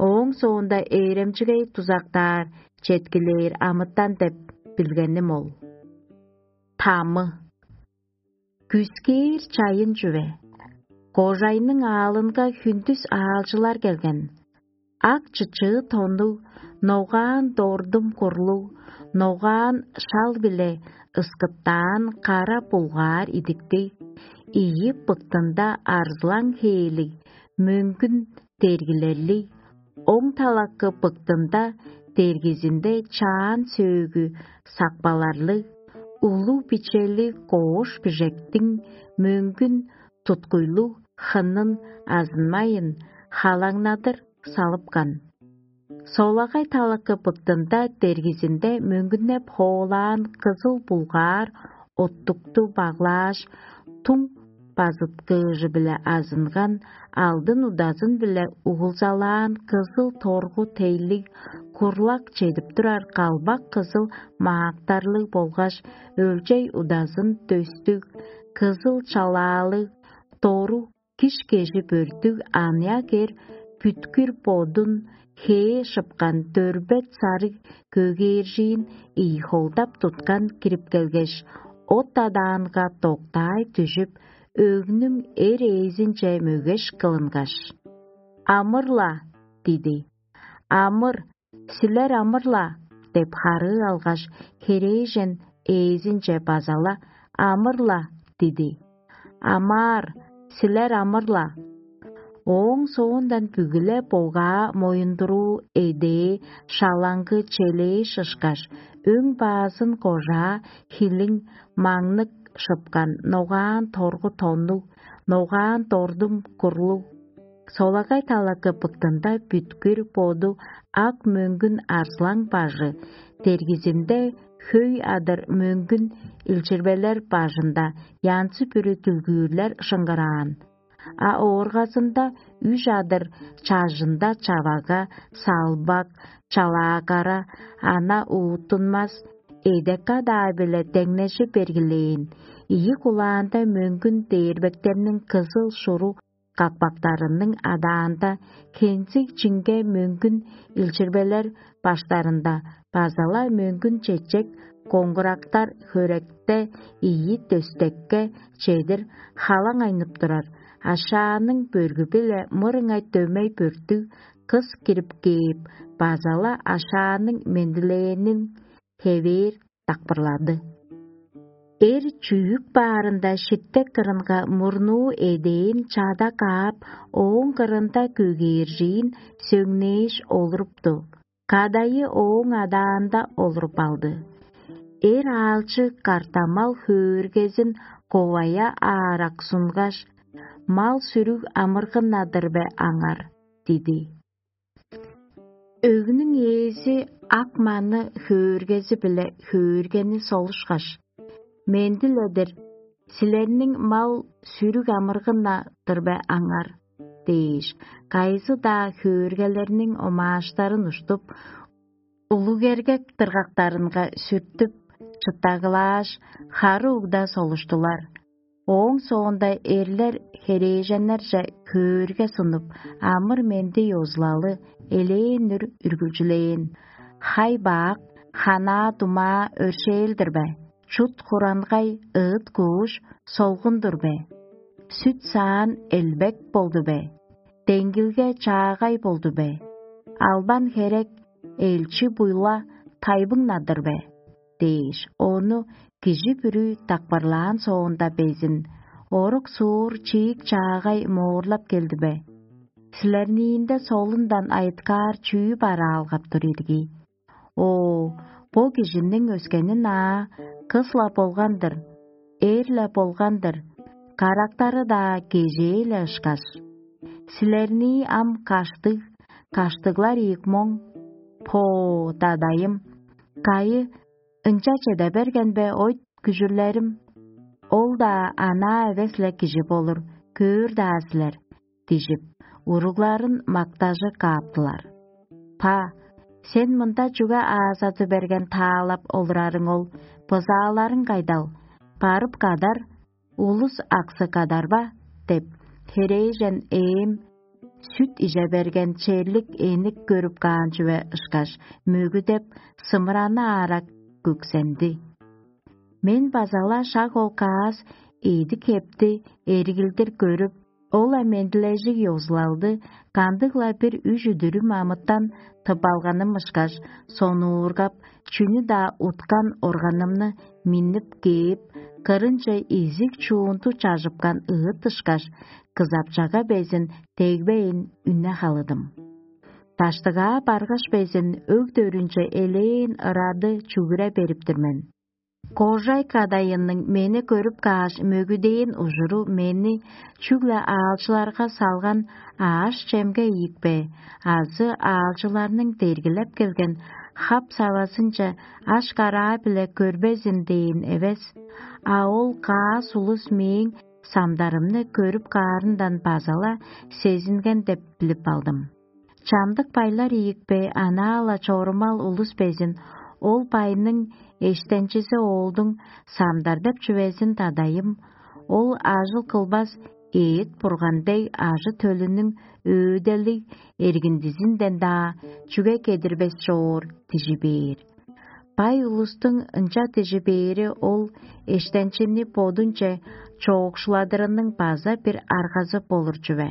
Ооң соонда ээремчигей дузактаар, четкилээр амытан деп билгеним ол. Тамы. Күскээр чайын чүве. Кожайның аалынга хүндүс аалчылар келген. Ак чычыы тоннуг, ногаан дордум курлуг, ногаан шал-биле ыскыптаан кара булгаар идиктиг, ийи быктында арзылаң хээлиг, мөңгүн дергилерлиг, оң талакы быктында дергизинде чаан сөөгү сакпаларлыг, улуг бичели коош бижектиң мөңгүн туткуйлуг хынын азынмайын, халаңнадыр салыпкан. Солагай талакы быктында дергизинде мөңгүннеп хоолаан кызыл булгаар оттукту баглааш, туң базыткыыжы-биле азынган, алдын удазын-биле угулзалаан кызыл торгу тейлиг курлак чедип турар калбак кызыл маактарлыг болгаш өлчей удазын дөстүг, кызыл чалаалыг, дору киш-кежи бөрттүг аныяк эр бүткүр бодун хээ шыпкан дөрбет сарыг көгээржиин ийи холдап туткан кирип келгеш, от адаанга доктаай дүжүп, өгнүң эр ээзинче мөгеш кылынгаш: «Амыр-ла!» — диди. «Амыр, силер амыр-ла!» — деп харыы алгаш, херээжен ээзинче база-ла: «Амыр-ла!» — диди. «Амаар, силер амыр-ла!» Ооң соондан бүгү-ле богаа моюндуруу эдээ шалаңгы челээш ышкаш, өң баазын кожаа хилиң маңнык шыпкан ногаан торгу тоннуг, ногаан дордум курлуг, солагай талакы быктында бүткүр боду ак мөңгүн арзылаң бажы, дергизинде хөй адыр мөңгүн илчирбелер бажында янзы-бүрү дүлгүүрлер шыңгыраан. А ооргазында үш адыр чажында чавага, салбак, чалаагара, ана уутунмас, эдек-кадаа-биле деңнежи бергилээн, ийи кулаанда мөңгүн дээрбектерниң кызыл шуру какпактарының адаанда, хензиг чиңге мөңгүн илчирбелер баштарында база-ла мөңгүн чечек коңгурактар хөректе ийи дөстекке чедир халаң айнып турар, ашааның бөргү-биле мырыңай дөмей бөрттүг кыс кирип кээп, база-ла ашааның мендилээнин хевээр дакпырлады. Эр чүүк баарында шиттек кырынга мурнуу эдээн чада каап, ооң кырында көгээржиин сөңнээш олурупту. Кадайы ооң адаанда олуруп алды. Эр аалчы картамал хөөргезин ковая аарак сунгаш: «Мал-сүрүг амыргын-на-дыр бе аңар?» — диди. Өгнүң ээзи ак маны хөөргези-биле хөөргени солушкаш: «Менди-ле-дир, силерниң мал-сүрүг амыргын-на-дыр бе аңар?» — дээш, кайызы-даа хөөргелерниң омааштарын уштуп, улуг эргек дыргактарынга сүртүп, чыттагылааш, хары угда солуштулар. Ооң соонда эрлер херээженнерже хөөрге сунуп, амыр-менди ёзулалы элээн-дүр үргүлчүлээн: «Хай-баак, ханаа-думаа өршээл-дир бе? Чут хурангай ыыт-кууш солгун-дур бе? Сүт-саан элбек болду бе? Деңгилге чаагай болду бе? Албан херек элчи-буйла тайбыңнадыр бе?» – дээш, ону кижи бүрү дакпырлаан соонда безин: «Орук-суур чиик чаагай моорлап келди бе? Силерниинде солундан айыткаар чүү бараалгап тур ирги? О, бо кижиниң өскени-на кыс-ла болган-дыр, эр-ле болган-дыр, карактары-даа кежээ-ле ышкаш. Силернии ам каштыг, каштыглар ийик моң. По, дадайым, кайы, ынча чеде берген бе, ойт күжүрлерим? Ол-даа анаа эвес-ле кижи болур, көөр-даа силер» – дижип, уругларын мактажы кааптылар. «Па, сен мында чүге аазады берген таалап олурарың ол? Бызааларың кайдал? Барып кадар, улус аксы кадар ба?» – деп, херээжен ээм сүт иже берген черлик эник көрүп каан чүве ышкаш, мөгүдеп, сымыраны аарак күксенди. Мен база-ла шак ол каас эъди-хепти эргилдир көрүп, ол-ла мендилежиг ёзулалды кандыг-ла бир үш-үдүрүм амытан тып алганым ышкаш, сонуургап, чүнү-даа уткан органымны миннип кээп, кырынче изиг чуунду чажыпкан ыыт ышкаш, кызапчага безин дегбейн үне халыдым. Даштыгаа баргаш безин, өг дөрүнче элээн ырады чүгүре берип-тир мен. Кожай кадайынның мени көрүп кааш, мөгүдээн ужуру мени чүгле аалчыларга салган аъш-чемге ийикпе азы аалчыларның дергилеп келген хап-савазынче аш-караа-биле көрбезин дээн эвес, а ол каас улус мээң самдарымны көрүп каарындан база-ла сезинген деп билип алдым. Чамдык байлар ийикпе, анаа-ла чорумал улус безин, ол байның эштенчизи оолдуң самдар деп чүвезин дадайым, ол ажыл кылбас эът-бурган дег ажы-төлүнүң өөделиг эргиндизинден-даа чүге кедирбес чоор дижи бээр. Бай улустуң ынча дижи бээри ол эштенчини бодунче чоокшуладырының база бир аргазы болур чүве.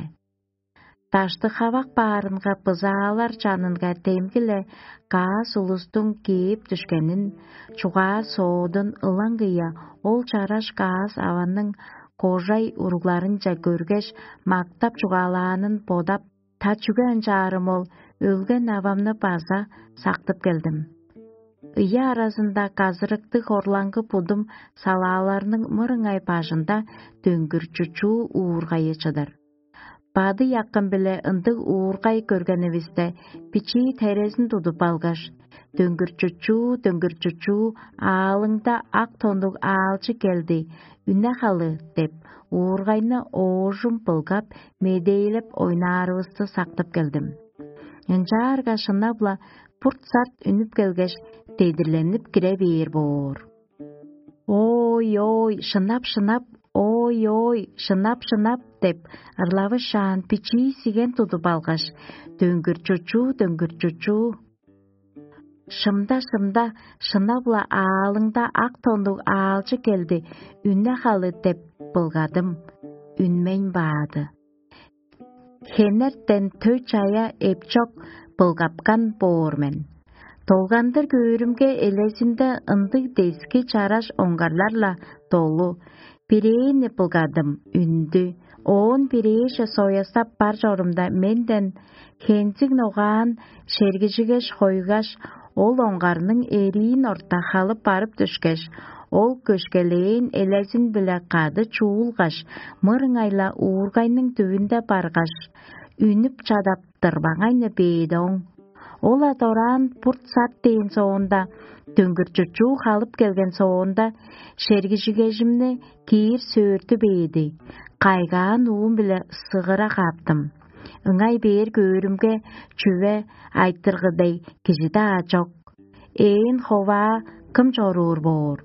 Даштык-хавак баарынга бызаалар чанынга демги-ле каас улустуң кээп дүшкенин, чугаа-соодун ылаңгыя ол чараш каас аванның кожай уругларынче көргеш, мактап-чугаалаанын бодап, та чүге ынчаарым ол, өлген авамны база сактып келдим. Ыяа аразында казырыктыг хорлаңгы будум салааларның мырыңай бажында дөңгүр чучуу уургайы чыдыр. Бадый акым-биле ындыг уургай көргенивисте, бичии терезин тудуп алгаш: «Дөңгүр чучуу, дөңгүр чучуу, аалыңда ак тоннуг аалчы келди, үне халы» – деп, уургайны оожум былгап, медээлеп ойнаарывысты сактып келдим. Ынчаарга шынап-ла бурт-сарт үнүп келгеш, дедирленип кире бээр боор. «Ой-ой, шынап-шынап, ой-ой, шынап-шынап» – деп, ырлавышаан бичии сиген тудуп алгаш: «Дөңгүр чучуу, дөңгүр чучуу, шымда-шымда, шынап-ла аалыңда ак тоннуг аалчы келди, үне халы» – деп былгадым. Үнмейн баады. Хенертен төй-чая эпчок былгапкан боор мен. Долгандыр көөрүмге, элезинде ындыг дески чараш оңгарлар-ла долу. Бирээни былгадым, үндү. Оон бирээже соястап бар чорумда, менден хензиг ногаан шергижигеш хойгаш, ол оңгарның эриин орта халып барып дүшкеш, ол көшкелээн элезин-биле кады чуулгаш, мырыңай-ла уургайның дүвүнде баргаш, үнүп чадап, дырбаңайны бээди оң. Ол-ла дораан бурт-сат дээн соонда, дөңгүр чучуу халып келген соонда, шергижигежимни киир сөөртү бээди. Кайгаан уум-биле сыгыра кааптым. Ыңай бээр көөрүмге, чүве айтыргы дег кижи-даа чок. ээн ховаа кым чоруур боор?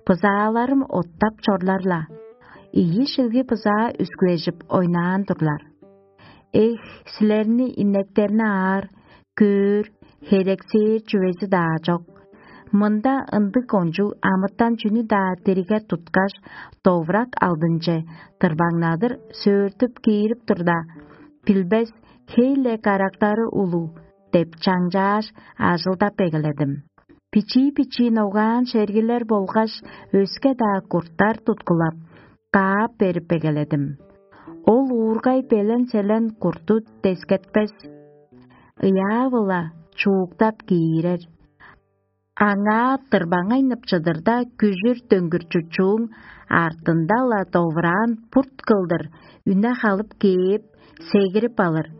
Бызааларым оттап чорлар-ла, ийи шилги бызаа үскүлежип ойнаан турлар. Эх, силерни инектерни аар, көөр, херексээр чүвези-даа чок. Мында ындыг кончуг амытан чүнү-даа дирге туткаш, довурак алдынче дырбаңнадыр сөөртүп киирип турда, билбес, хей-ле карактары улуг деп чаңчааш, ажылдап эгеледим. Бичии-бичии ногаан шергилер болгаш өске-даа курттар туткулап, каап берип эгеледим. Ол уургай белен-селен курту дескетпес, ыяавы-ла чууктап киирер. Аңаа дырбаңайнып чыдырда, күжүр дөңгүрчүчүүң артында-ла довураан бурт кылдыр үне халып кээп, сегирип алыр.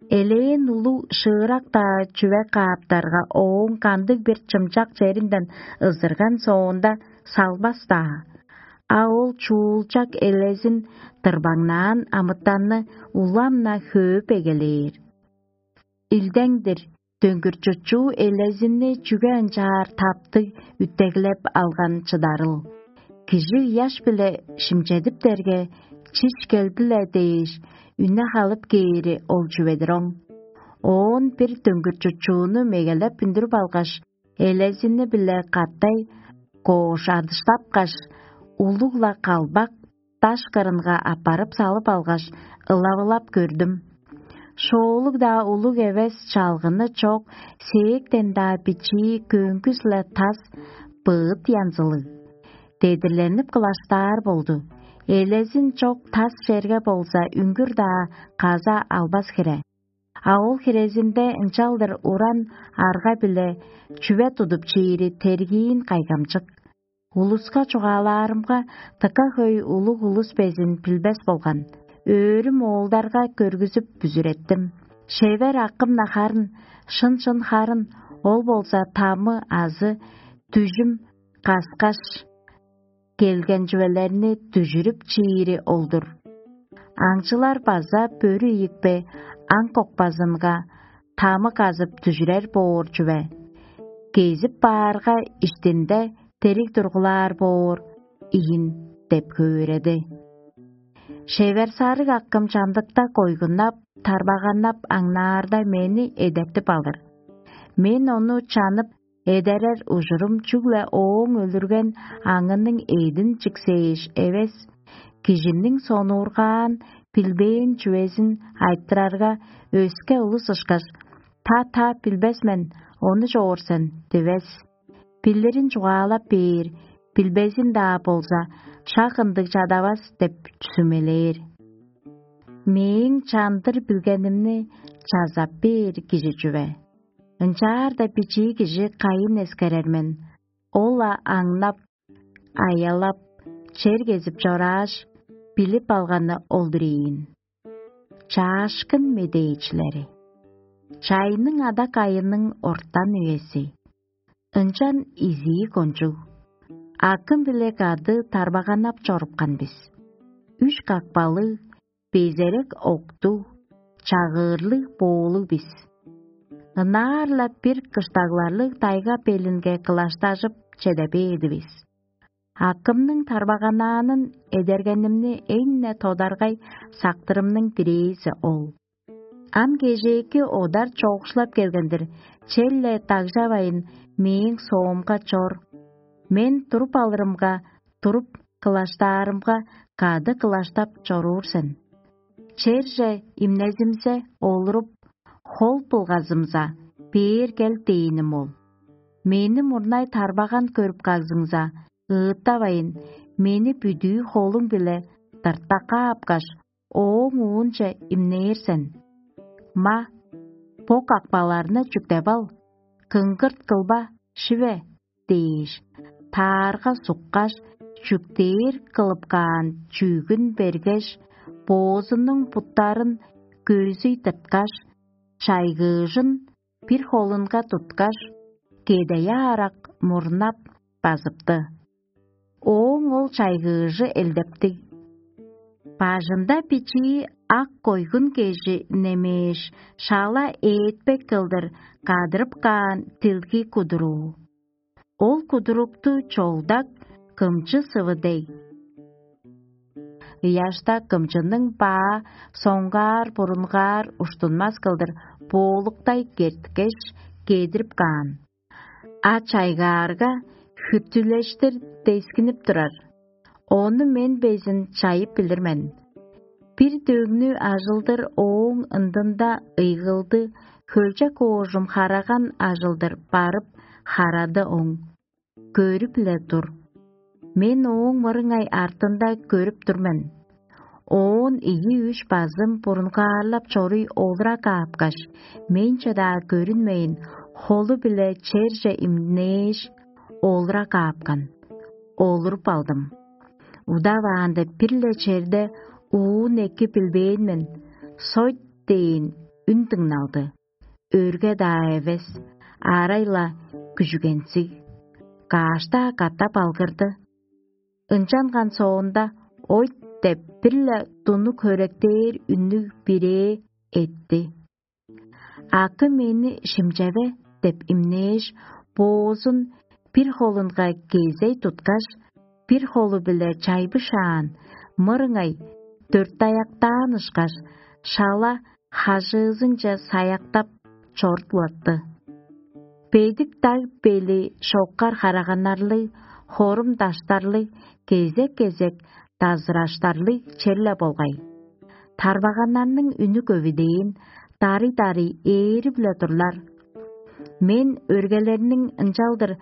Элээн улуг шыырак-даа чүве кааптарга, ооң кандыг-бир чымчак черинден ызырган соонда салбас-даа. А ол чуулчак элезин дырбаңнаан амытанны улам-на хөөп эгелээр. Илдең-дир, дөңгүрчүчүү элезинни чүге ынчаар таптыг үттеглеп алган чыдарыл? Кижи ыяш-биле шимчедиптерге, чиш келди-ле дээш, үне халып кээри ол чүве-дир оң. Оон бир дөңгүрчүчүүнү мегелеп үндүрүп алгаш, элезини-биле катай коош адыштапкаш, улуг-ла калбак даш кырынга аппарып салып алгаш, ылавылап көрдүм. Шоолуг-даа улуг эвес, чалгыны чок, сээктен-даа бичии, көңгүс-ле тас, быыт янзылыг. Дедирленип кылаштаар болду. Элезин чок тас черге болза, үңгүр-даа каза албас хире. А ол хирезинде ынчалдыр уран арга-биле чүве тудуп чиири тергиин кайгамчык. Улуска чугаалаарымга, дыка хөй улуг улус безин билбес болган. Өөрүм оолдарга көргүзүп бүзүреттим. Шевер акым-на харын, шын-шын харын, ол болза тамы азы дүжүм каскаш келген чүвелерни дүжүрүп чиири ол-дур. Аңчылар база бөрү ийикпе аң кокпазынга тамы казып дүжүрер боор чүве. Кезип баарга, иштинде дериг тургулаар боор ийин деп хөөреди. Шевер сарыг акым чамдыкта койгуннап, тарбаганнап аңнаарда, мени эдертип алыр. Мен ону чанып эдерер ужурум чүгле ооң өлүрген аңының эъдин чиксээш эвес, кижиниң сонуургаан, билбээн чүвезин айтырарга, өске улус ышкаш: «Та-та, билбес мен, ону чоор сен» – дивес. Билирин чугаалап бээр, билбезин-даа болза, шак ындыг чадавас деп сүмелээр. Мээң чандыр билгенимни чазап бээр кижи чүве? Ынчаарда бичии кижи кайын эскерер мен, ол-ла аңнап, аялап, чер кезип чорааш, билип алганы ол-дур ийин. Чаашкын медээчилери. Чайның ада кайының ортан үези. Ынчан изии кончуг. Акым-биле кады тарбаганнап чорупкан бис. Үш какпалыг, безерек октуг, чагыырлыг боолуг бис. Ынаар-ла бир кыштагларлыг тайга белинге кылаштажып чеде бээдивис. Акымның тарбаганаанын эдергенимни эң-не тодаргай сактырымның бирээзи ол. Ам кежээки одар чоокшулап келген-дир, черле дагжавайн, мээң соомга чор. Мен туруп алырымга, туруп кылаштаарымга, кады кылаштап чоруур сен. Черже имнезимзе, олуруп, хол былгазымза, бээр кел дээним ол. Мени мурнай тарбаган көрүп кагзыңза, ыыттавайн, мени бүдүү холуң-биле дыртакка апкаш, ооң уунче имнээр сен. Ма, бо какпаларны чүктеп ал, кыңгырт кылба, шиве дээш, таарга суккаш, чүктээр кылып каан чүъгүн бергеш, боозунуң буттарын көзүй тырткаш, чайгыыжын бир холунга туткаш, кедая арак мурнап базыпты. Ооң ол чайгыыжы элдептиг. Бажында бичии ак койгун кежи немээш, шала ээдпек кылдыр кадырып каан дилги кудуруу. Ол кудурукту чолдак кымчы сывы дег. Ыяшта кымчының баа соңгаар-бурунгаар уштунмас кылдыр боолуктай керткеш, кедирип каан. А чайгаарга хүттүлештир дескинип турар. Ону мен безин чайып билир мен. Бир дөңнү ажылдыр ооң ындында ыйгылды, хөлчек оожум хараган ажылдыр барып харады оң. Көрүп-ле тур. Мен ооң мырыңай артында көрүп тур мен. Оон ийи-үш базым бурунгаарлап чоруй олура каапкаш, менче-даа көрүнмейн, холу-биле черже имнээш, олура каапкан. Олуруп алдым. Удаваанда бир-ле черде уун эки билбээн мен, сойт дээн үн дыңналды. Өрге-даа эвес, аарай-ла күжүгензиг. Кааш-даа катап алгырды. Ынчанган соонда «Ойт» деп бир-ле дунук хөректээр үннүг бирээ этти. «Акы мени шимчеве» деп имнээш, боозун бир холунга кезей туткаш, бир холу-биле чайбышаан, мырыңай дөртаяктаан ышкаш, шала хажыызынче саяктап чорудулатты. Бедик даг бели шоккар хараганнарлыг, хорум даштарлыг, кезек-кезек дазыраштарлыг черле болгай. Тарбаганнарның үнү көвүдээн, дарый-дарый ээрип-ле турлар. Мен өргелерниң ынчалдыр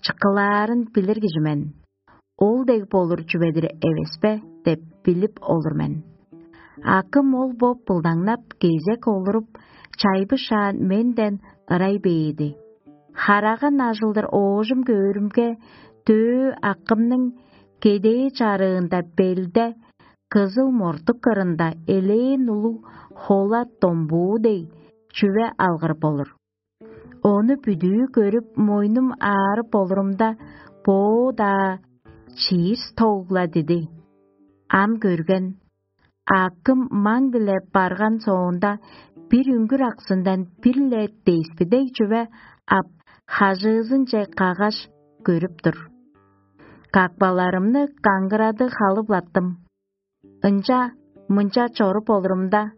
чыккылаарын билир кижи мен. Ол дег болур чүве-дир эвеспе деп билип олур мен. Акым ол боп былдаңнап, кезек олуруп, чайбышаан менден ырай бээди. Хараган ажылдыр оожум көөрүмге, дөө акымның кедээ чарыында белде, кызыл мортук кырында элээн улуг хола домбуу дег чүве алгырып олур. Ону бүдүү көрүп, мойнум аарып олурумда, боо-даа чиир стогла диди. Ам көрген, акым маң-биле барган соонда, бир үңгүр аксындан бир-ле деспи дег чүве ап, хажыызынче каггаш көрүп тур. Какпаларымны каңгырады халыглаттым. Ынча-мынча чоруп олурумда,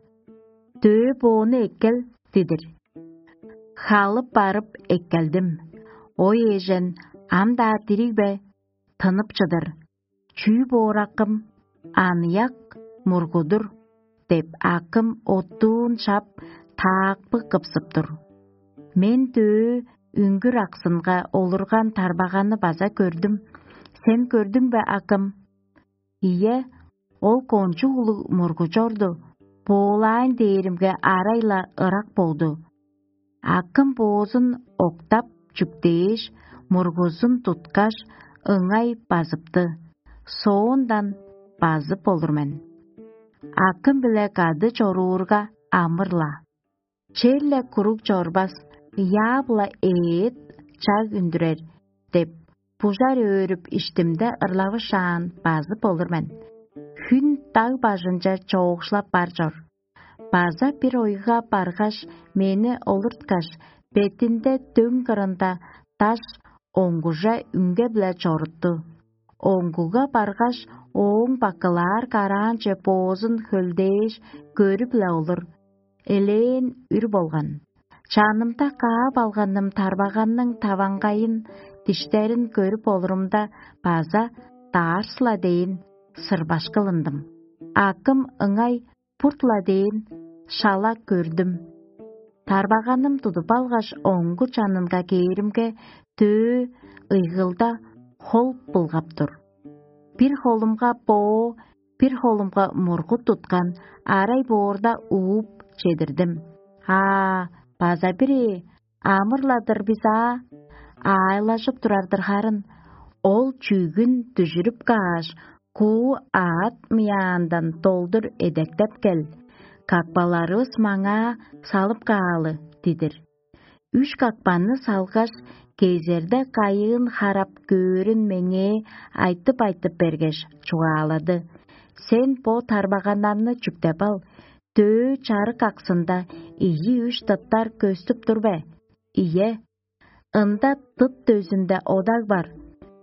«Дөө боону эккел» дидир. Халып барып эккелдим. Ой эжен ам-даа дириг бе, тынып чыдыр. Чүү боор акым, аныяк мургудур деп, акым оттуун шап, таакпы кыпсып тур. Мен дөө үңгүр аксынга олурган тарбаганы база көрдүм. Сен көрдүң бе, акым? Ийе, ол кончуг улуг мургу чорду, боолаайн дээримге арай-ла ырак болду. Акым боозун октап чүктээш, мургузун туткаш, ыңай базыпты. Соондан базып болур мен. Акым-биле кады чоруурга амыр-ла. Черле куруг чорбас, яап-ла ээт чаг үндүрер деп, бужар өөрүп иштимде ырлавышаан базып болур мен. Хүн даг бажынче чоокшулап бар чор. База бир ойга баргаш, мени олурткаш, бетинде дөң кырында даш оңгуже үңге-биле чорутту. Оңгуга баргаш, ооң бакылаар караанче боозун хөлдээш, көрүп-ле олур. Элээн үр болган. Чанымда каап алганым тарбаганның таваңгайын, диштерин көрүп олурумда, база даарс-ла дээн сырбаш кылындым. Акым ыңай бурт-ла дээн шала көрдүм. Тарбаганым тудуп алгаш, оңгу чанынга кээримге, дөө ыйгылда хол былгап тур. Бир холумга боо, бир холумга мургут туткан арай боорда ууп чедирдим. Аа, база бир ээ, амыр-ла-дыр бис аа, аайлажып турар-дыр харын. Ол чүъгүн дүжүрүп кааш, куу аът мыяандан долдур эдертеп кел, какпаларывыс маңаа салып каалы дидир. Үш какпанны салгаш, кезерде кайыын харап көөрүн меңээ айтып-айтып бергеш, чугаалады: «Сен бо тарбаганнарны чүктеп ал, дөө чарык аксында ийи-үш тыптар көстүп тур бе? Ийе, Ында дыт дөзүнде одаг бар,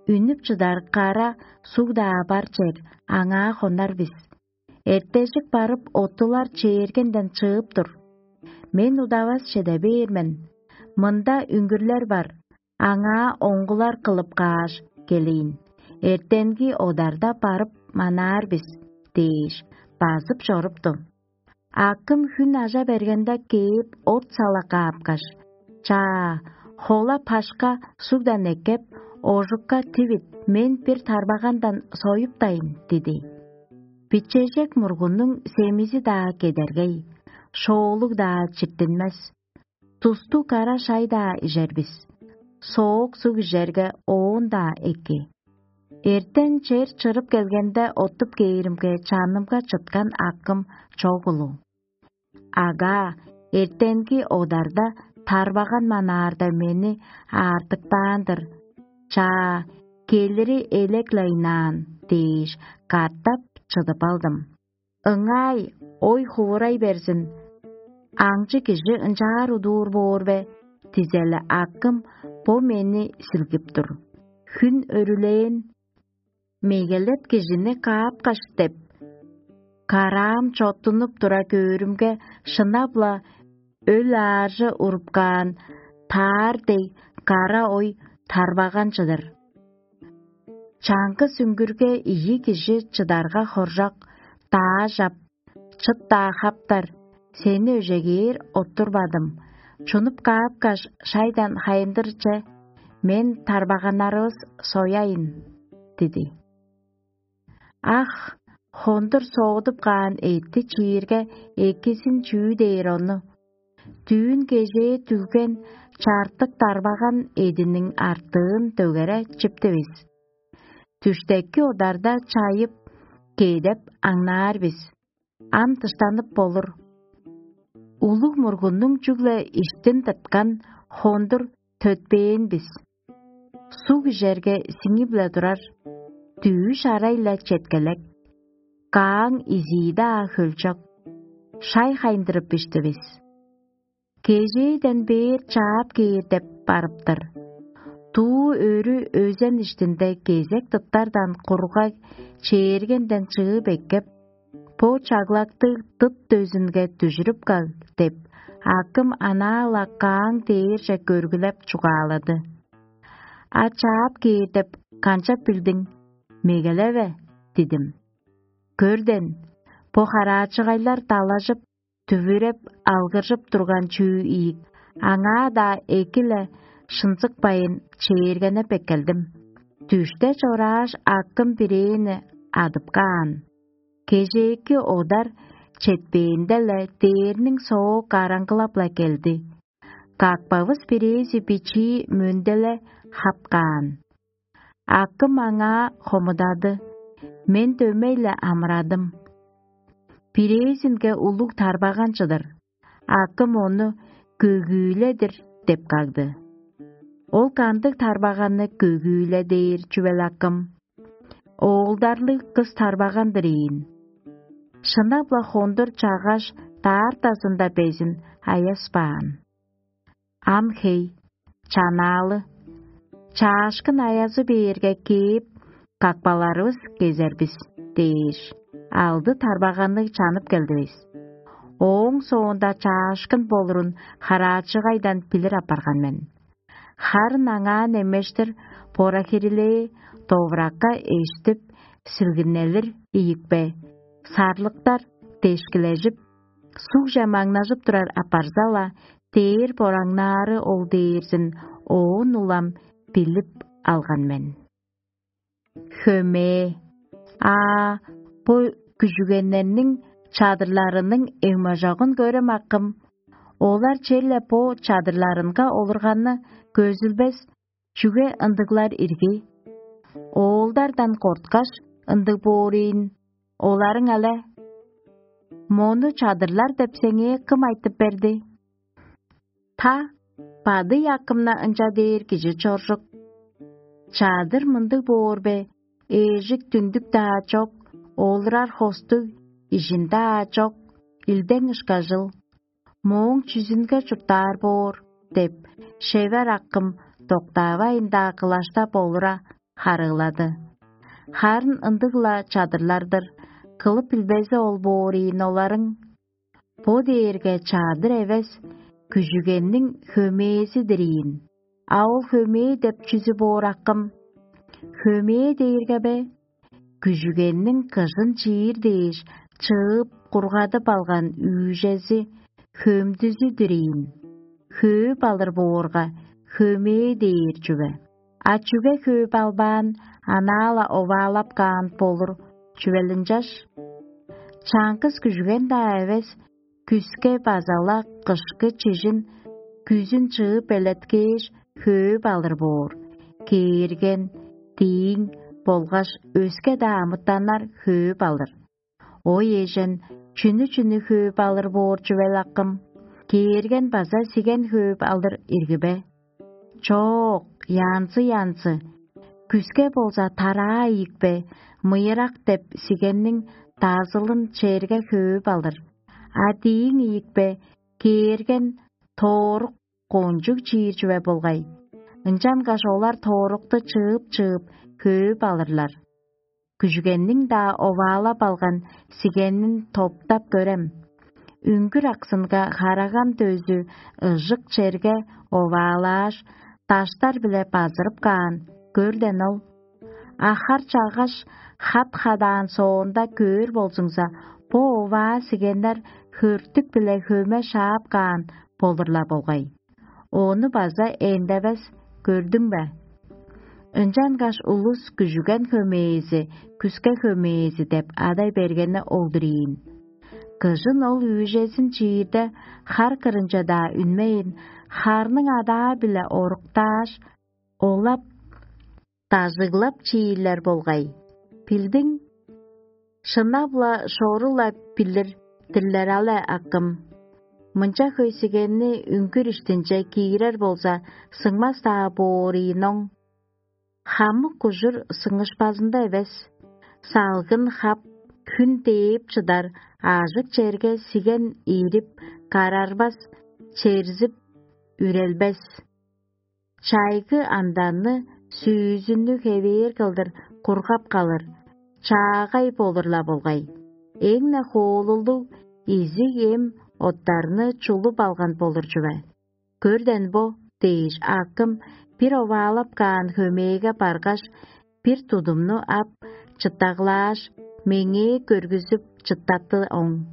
үнүп чыдар кара суг-даа бар чер, аңаа хонар бис. Эртежик барып, оттулар чээргенден чыып тур. Мен удавас чеде бээр мен. Мында үңгүрлер бар, аңаа оңгулар кылып кааш келейн. Эртенги одарда барып манаар бис дээш, базып чорупту. Акым хүн ажа бергенде кээп, от сала каапкаш: «Чаа, хола пашка сугдан эккеп, ожукка тивит, мен бир тарбагандан союптайн» – диди. Бичежек мургуннуң семизи-даа кедергей, шоолуг-даа чиртинмес. Тусту кара шай-даа ижер бис. Соок суг ижерге, оон-даа эки. Эртен чер чырып келгенде, оттуп кээримге, чанымга чыткан акым чок улу. Ага, эртенги одарда тарбаган манаарда мени аартыктаан-дыр. Чаа, келири элек-ле ыйнаан дээш, катап чыдып алдым. Ыңай, ой хувурай берзин. Аңчы кижи ынчаар удуур боор бе? Дизели акым бо мени силгип тур. Хүн өрүлээн, мегелеп кижини каапкаш деп, караам чоттунуп тура көөрүмге, шынап-ла өл ааржы урупкаан таар дег кара ой тарбаган чыдыр. Чаңгыс үңгүрге ийи кижи чыдарга хоржок, даажап, чыт-даа хаптар, сени өжегээр оттурбадым. Чунуп каапкаш, шайдан хайындырче, мен тарбаганнарывыс сояйын» – диди. Ах, хондур соодуп каан эътти чиирге, экизин чүү дээр ону? Дүүн кежээ дүлген чартык тарбаган эъдиниң артыын дөгере чиптивис. Дүштеки одарда чайып, кедеп аңнаар бис. Ам дыштанып болур. Улуг мургуннуң чүгле иштин тырткан хондур төтпээн бис. Суг ижерге сиңип-ле турар, дүъш арай-ла четкелек, кааң изии-даа хөлчок. Шай хайындырып ишти бис. Кежээден бээр чаап кээр деп барыптар. Дуу өрү өзен иштинде кезек тыттардан кургаг чээргенден чыып эккеп, бо чаглактыг дыт дөзүнге дүжүрүп каг деп, акым анаа-ла кааң дээрже көргүлеп чугаалады. А чаап кээр деп канчап билдиң? Мегелеве, дидим. Көрден, бо хараачыгайлар далажып, дүвүреп, алгыржып турган чүү ийик, аңаа-даа эки-ле шынзыкпайын чээргенеп эккелдим. Дүште чорааш, акым бирээни адып каан. Кежээки одар четпээнде-ле дээрниң соо караңгылап-ла келди. Какпавыс бирээзи бичии мөндү-ле хап каан. Акым аңаа хомудады: «Мен дөмей-ле амырадым. Бирээзинге улуг тарбаган чыдыр, акым ону көгүүледир» – деп кагды. Ол кандыг тарбаганны көгүүле дээр чүвел, акым? Оолдарлыг кыс тарбаган-дыр ийин. Шынап-ла хондур чагаш даартазында безин аяспаан. Ам хей, чанаалы, чаашкын аязы бээрге кээп, какпаларывыс кезер бис дээш, алды тарбаганныг чанып келдивис. Ооң соонда чаашкын болурун хараачыгайдан билир апарган мен. Харын аңаа немештир бора-хирилээ довуракка эштип, силгиннелир ийикпе, сарлыктар дешкилежип, сугже маңнажып турар апарза-ла, дээр бораңнаары ол дээрзин оон улам билип алган мен. Хөмээ, аа, бо күжүгеннерниң чадырларының эңмажогун көрем, акым. Олар черле бо чадырларынга олурганны көзүлбес, чүге ындыглар ирги? Оолдардан корткаш, ындыг боор ийин. Оларың але: «Мону чадырлар деп сеңээ кым айтып берди?» Та бадый акымна ынча дээр кижи чоржук. Чадыр мындыг боор бе: ээжик дүндүк-даа чок, олурар хостуг, ижин-даа чок, илдең ышкажыл, мооң чүзүнге чурттаар боор деп, шевер акым доктаавайн-даа кылаштап олура харыылады. Харын ындыг-ла чадырлар-дыр, кылып билбези ол боор ийин оларың. Бо дээрге чадыр эвес, күжүгенниң хөмээзи-дир ийин. А ол хөмээ деп чүзү боор акым? Хөмээ дээрге бе? Күжүгенниң кыжын чиир дээш чыып кургадып алган үүжези, хөмдүзү-дүр ийин. Хөөп алыр боорга, хөмээ дээр чүве. А чүге хөөп албаан, анаа-ла оваалап каан болур чүвел ынчаш? Чаңгыс күжүген-даа эвес, күске база-ла кышкы чижин күзүн чыып белеткээш, хөөп алыр боор. Кээрген, дииң болгаш өске-даа амытаннар хөөп алыр. Ой эжен, чүнү-чүнү хөөп алыр боор чүвел акым? Кээрген база сиген хөөп алыр ирги бе? Чоок, янзы-янзы. Күске болза тараа ийикпе, мыйырак деп сигенниң дазылын черге хөөп алыр. А дииң ийикпе, кээрген тоорук кончуг чиир чүве болгай. Ынчангаш олар тоорукту чыып-чыып хөөп алырлар. Күжүгенниң-даа оваалап алган сигенин топтап көрем. Үңгүр аксынга хараган дөзү ыжык черге оваалааш, даштар-биле базырып каан, көрден ол. Ахар чаггаш, хат хадаан соонда көөр болзуңза, бо оваа сигеннер хөртүк-биле хөме шаап каан болур-ла болгай. Ону база эндевес көрдүң бе? Ынчангаш улус күжүген хөмээзи, күске хөмээзи деп адай бергени ол-дур ийин. Кыжын ол үүжезин чиирде хар кырынче-даа үнмейн, харның адаа-биле оруктааш, олап, дажыглап чиирлер болгай. Билдиң, шынап-ла шору-ла билир-дирлер але, акым. Мынча хөй сигенни үңгүр иштинче киирер болза, сыңмас-даа боор ийин оң. Хамык ужур сыңышпазында эвес, салгын хап, хүн дээп чыдар, аажык черге сиген иирип, карарбас, черзип, үрелбес. Чайгы анданны, сүүзүннү хевээр кылдыр кургап калыр, чаагай болур-ла болгай. Эң-не хоолулдуг изиг эм оттарны чулуп алган болур чүве. Көрден бо дээш, акым бир оваалап каан хөмээге баргаш, бир тудумну ап, чыттаглааш, меңээ көргүзүп чыттатты оң.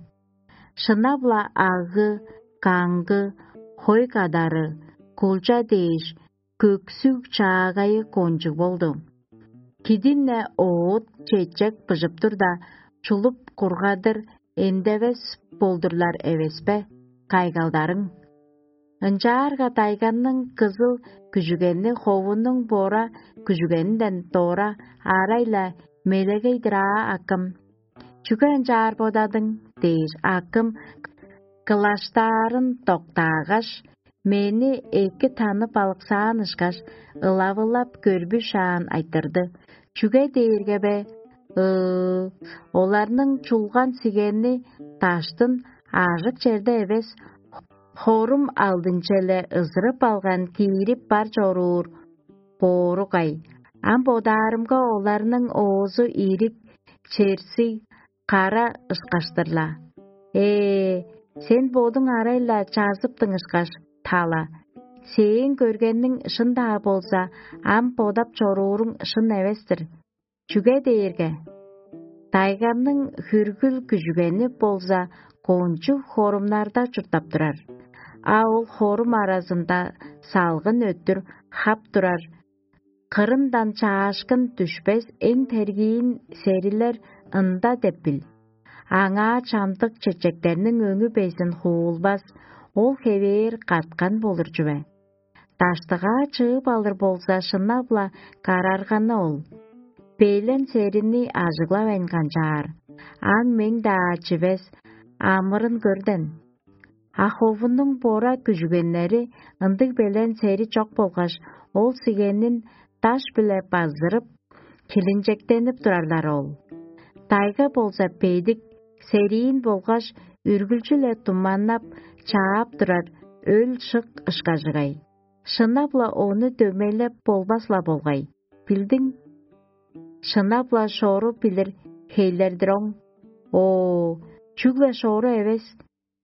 Шынап-ла агы, каңгы, хой кадары, кулча дээш, көксүг чаагайы кончуг болду. Кидин-не оът чечек быжып турда, чулуп кургадыр эндевес болдурлар эвеспе, кайгалдарың? Ынчаарга дайганның кызыл күжүгени ховунуң бора күжүгенинден дора арай-ла мелегей-дир аа, акым. Чүге ынчаар бодадың? Дээш, акым кылаштаарын доктаагаш, мени эки танып алыксаан ышкаш, ылавылап көрбүшаан айтырды: «Чүге дээрге бе? Ыы, оларның чулган сигени даштын аажык черде эвес, хорум алдынче-ле ызырып алган киирип бар чоруур боору кай. Ам бодаарымга, оларның оозу ирик, черсиг, кара ышкаш-тыр-ла. Ээ, сен бодуң арай-ла чазыптың ышкаш, тала. Сээң көргениң шын-даа болза, ам бодап чорууруң шын эвес-тир. Чүге дээрге дайгамның хүргүл күжүгени болза, кончуг хорумнарда чурттап турар. А ол хорум аразында салгын өттүр хап турар, кырындан чаашкын дүшпес эң тергиин серилер ында деп бил. Аңаа чамдык чечектерниң өңү безин хуулбас, ол хевээр каткан болур чүве. Даштыгаа чыып алыр болза, шынап-ла карарганы ол. Белен серини ажыглавайн канчаар, ам мең-даа чивес амырын көрден. А ховунуң бора күжүгеннери ындыг белен сери чок болгаш, ол сигенин даш-биле базырып, хилинчектенип турарлар ол. Дайга болза бедик, сериин болгаш үргүлчү-ле туманнап, чаап турар өл-шык ышкажыгай. Шынап-ла ону дөмейлеп болбас-ла болгай. Билдиң, шынап-ла шору билир хейлер-дир оң. О, чүгле шору эвес,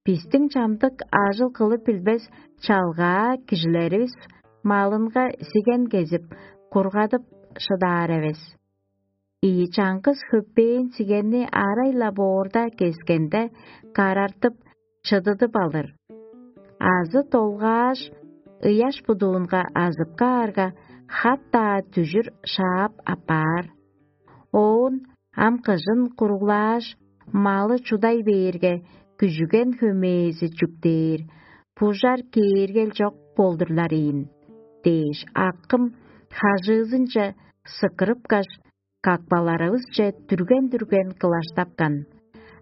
бистиң чамдык ажыл кылып билбес чалгаа кижилеривис малынга сиген кезип, кургадып шыдаар эвес. Ийи чаңгыс хөппээн сигенни арай-ла боорда кескенде, карартып, чыдыдып алыр. Азы долгааш, ыяш будуунга азып каарга, хат-даа дүжүр шаап аппаар. Оон ам кыжын куруглааш, малы чудай бээрге, күжүген хөмээзи чүктээр, бужар кээргел чок болдурлар ийин дээш, акым хажыызынче сыкырыпкаш, какпаларывысче дүрген-дүрген кылаштапкан.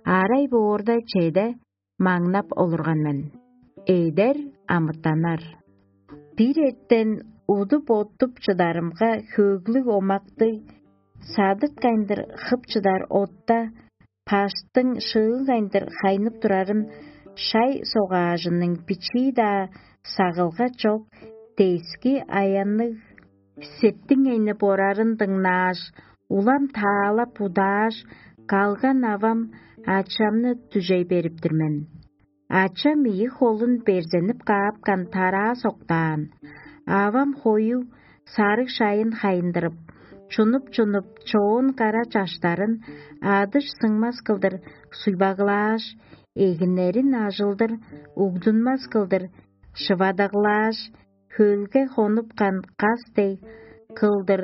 Арай боорда чеде маңнап олурган мен. Эдер амытанар. Бир эртен удуп-оттуп чыдарымга, хөөглүг омактыг, садыткайындыр хып чыдар отта, паштың шыыгайындыр хайнып турарын, шай согаажының бичии-даа сагылга чок, дески аянныг септиң эни борарын дыңнааш, улам таалап удааш, калган авам ачамны дүжей берип-тир мен. Ачам ийи холун берзенип каапкан тараа соктаан. Авам хою сарыг шайын хайындырып, чунуп-чунуп, чоон кара чаштарын адыш сыңмас кылдыр суйбаглааш, эгиннерин ажылдыр угдунмас кылдыр шывадаглааш, хөлге хонупкан кас дег кылдыр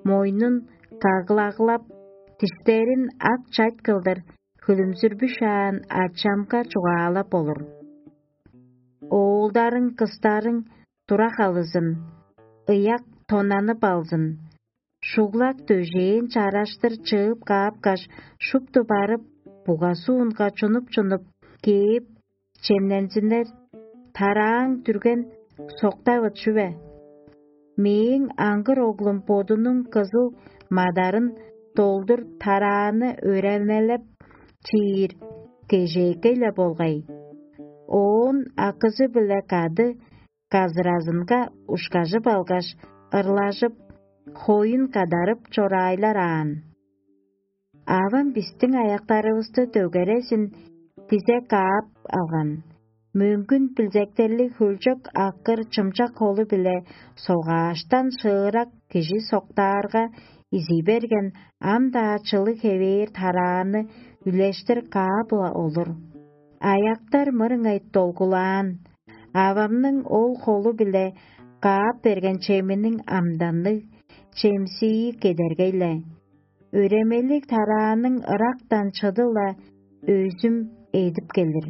мойнун каглаглап, диштерин ак чайт кылдыр хүлүмзүрбүшаан ачамга чугаалап олур. Оолдарың, кыстарың тура халызын, ыяк тонанып алзын. Шуглак дөжээн чараштыр чыып каапкаш, шупту барып, буга суунга чунуп-чунуп кээп, чемнензиннер, тарааң дүрген соктавыт чүве. Мээң аңгыр оглум бодунуң кызыл мадарын долдур тарааны өремелеп чиир кежээкей-ле болгай. Оон акызы-биле кады казыразынга ушкажып алгаш, ырлажып, хоюн кадарып чораайлар аан. Авам бистиң аяктарывысты дөгерезин дизе каап алган. Мөңгүн билзектерлиг хөлчок аккыр чымчак холу-биле согааштан шыырак кижи соктаарга изий берген, ам-даа чылыг хевээр тарааны үлештир каап-ла олур. Аяктар мырыңай долгулаан, авамның ол холу-биле каап берген чеминиң амданныг чемсии кедергей-ле. Өремелиг тарааның ырактан чыды-ла өзүм эдип келир.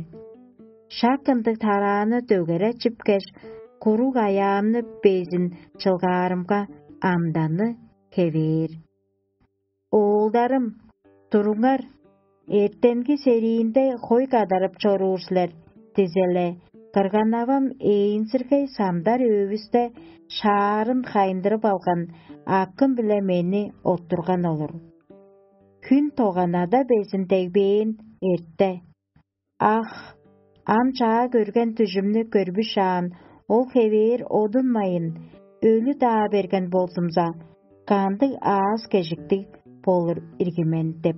Шак ындыг тарааны дөгере чипкеш, куруг аяамны безин чылгаарымга, амданы хевээр. «Оолдарым, туруңар, эртенги сериинде хой кадарып чоруур силер» — дизеле, кырган-авам ээнзиргей самдар өөвүсте шаарын хайындырып алган акым-биле мени оттурган олур. Хүн тоганада безин дегбээн эрте. Ах, ам чаа көрген дүжүмнү көрбүшаан, ол хевээр одунмайын, өлү-даа берген болзумза, кандыг аас-кежиктиг болур ирги мен деп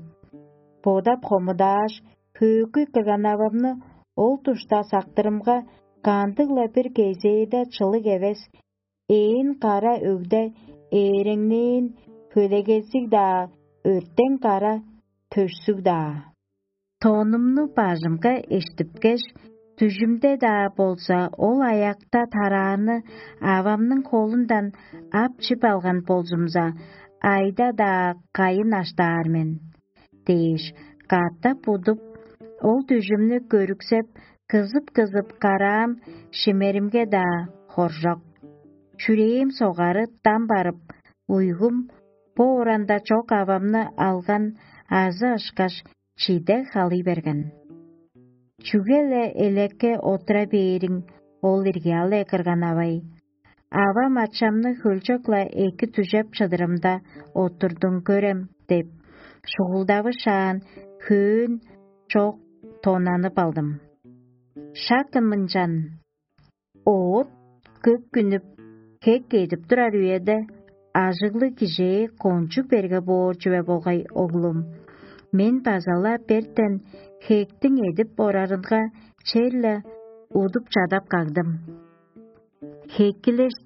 бодап хомудааш, хөөкүй кырган-авамны ол душта сактырымга, кандыг-ла бир кезээде чылыг эвес, ээн кара өгде ээреңнээн хөлегезиг-даа, өртең кара төшсүг-даа. Тонумну бажымга эштипкеш, дүжүмде-даа болза, ол аякта тарааны авамның холундан ап чип алган болзумза, айда-даа кайын аштаар мен» — дээш, катап удуп, ол дүжүмнү көрүксеп, кызып-кызып караам, шимеримге-даа хоржок. Чүрээм согары дам барып, уйгум бо оранда чок авамны алган азы ышкаш чиде халый берген. «Чүге-ле элекке отура бээриң ол ирги-ал, э, кырган-авай? Авам-ачамны хөлчок-ла эки дүжеп чыдырымда оттурдуң көрем» — деп, шугулдавышаан, хөөн чок тонанып алдым. Шак ынчан оът көк үнүп, Хек эдип турар үеде ажыглыг кижээ кончуг берге боор чүве болгай, оглум. Мен база-ла бертен хектиң эдип орарынга черле удуп чадап кагдым. Хеккилеш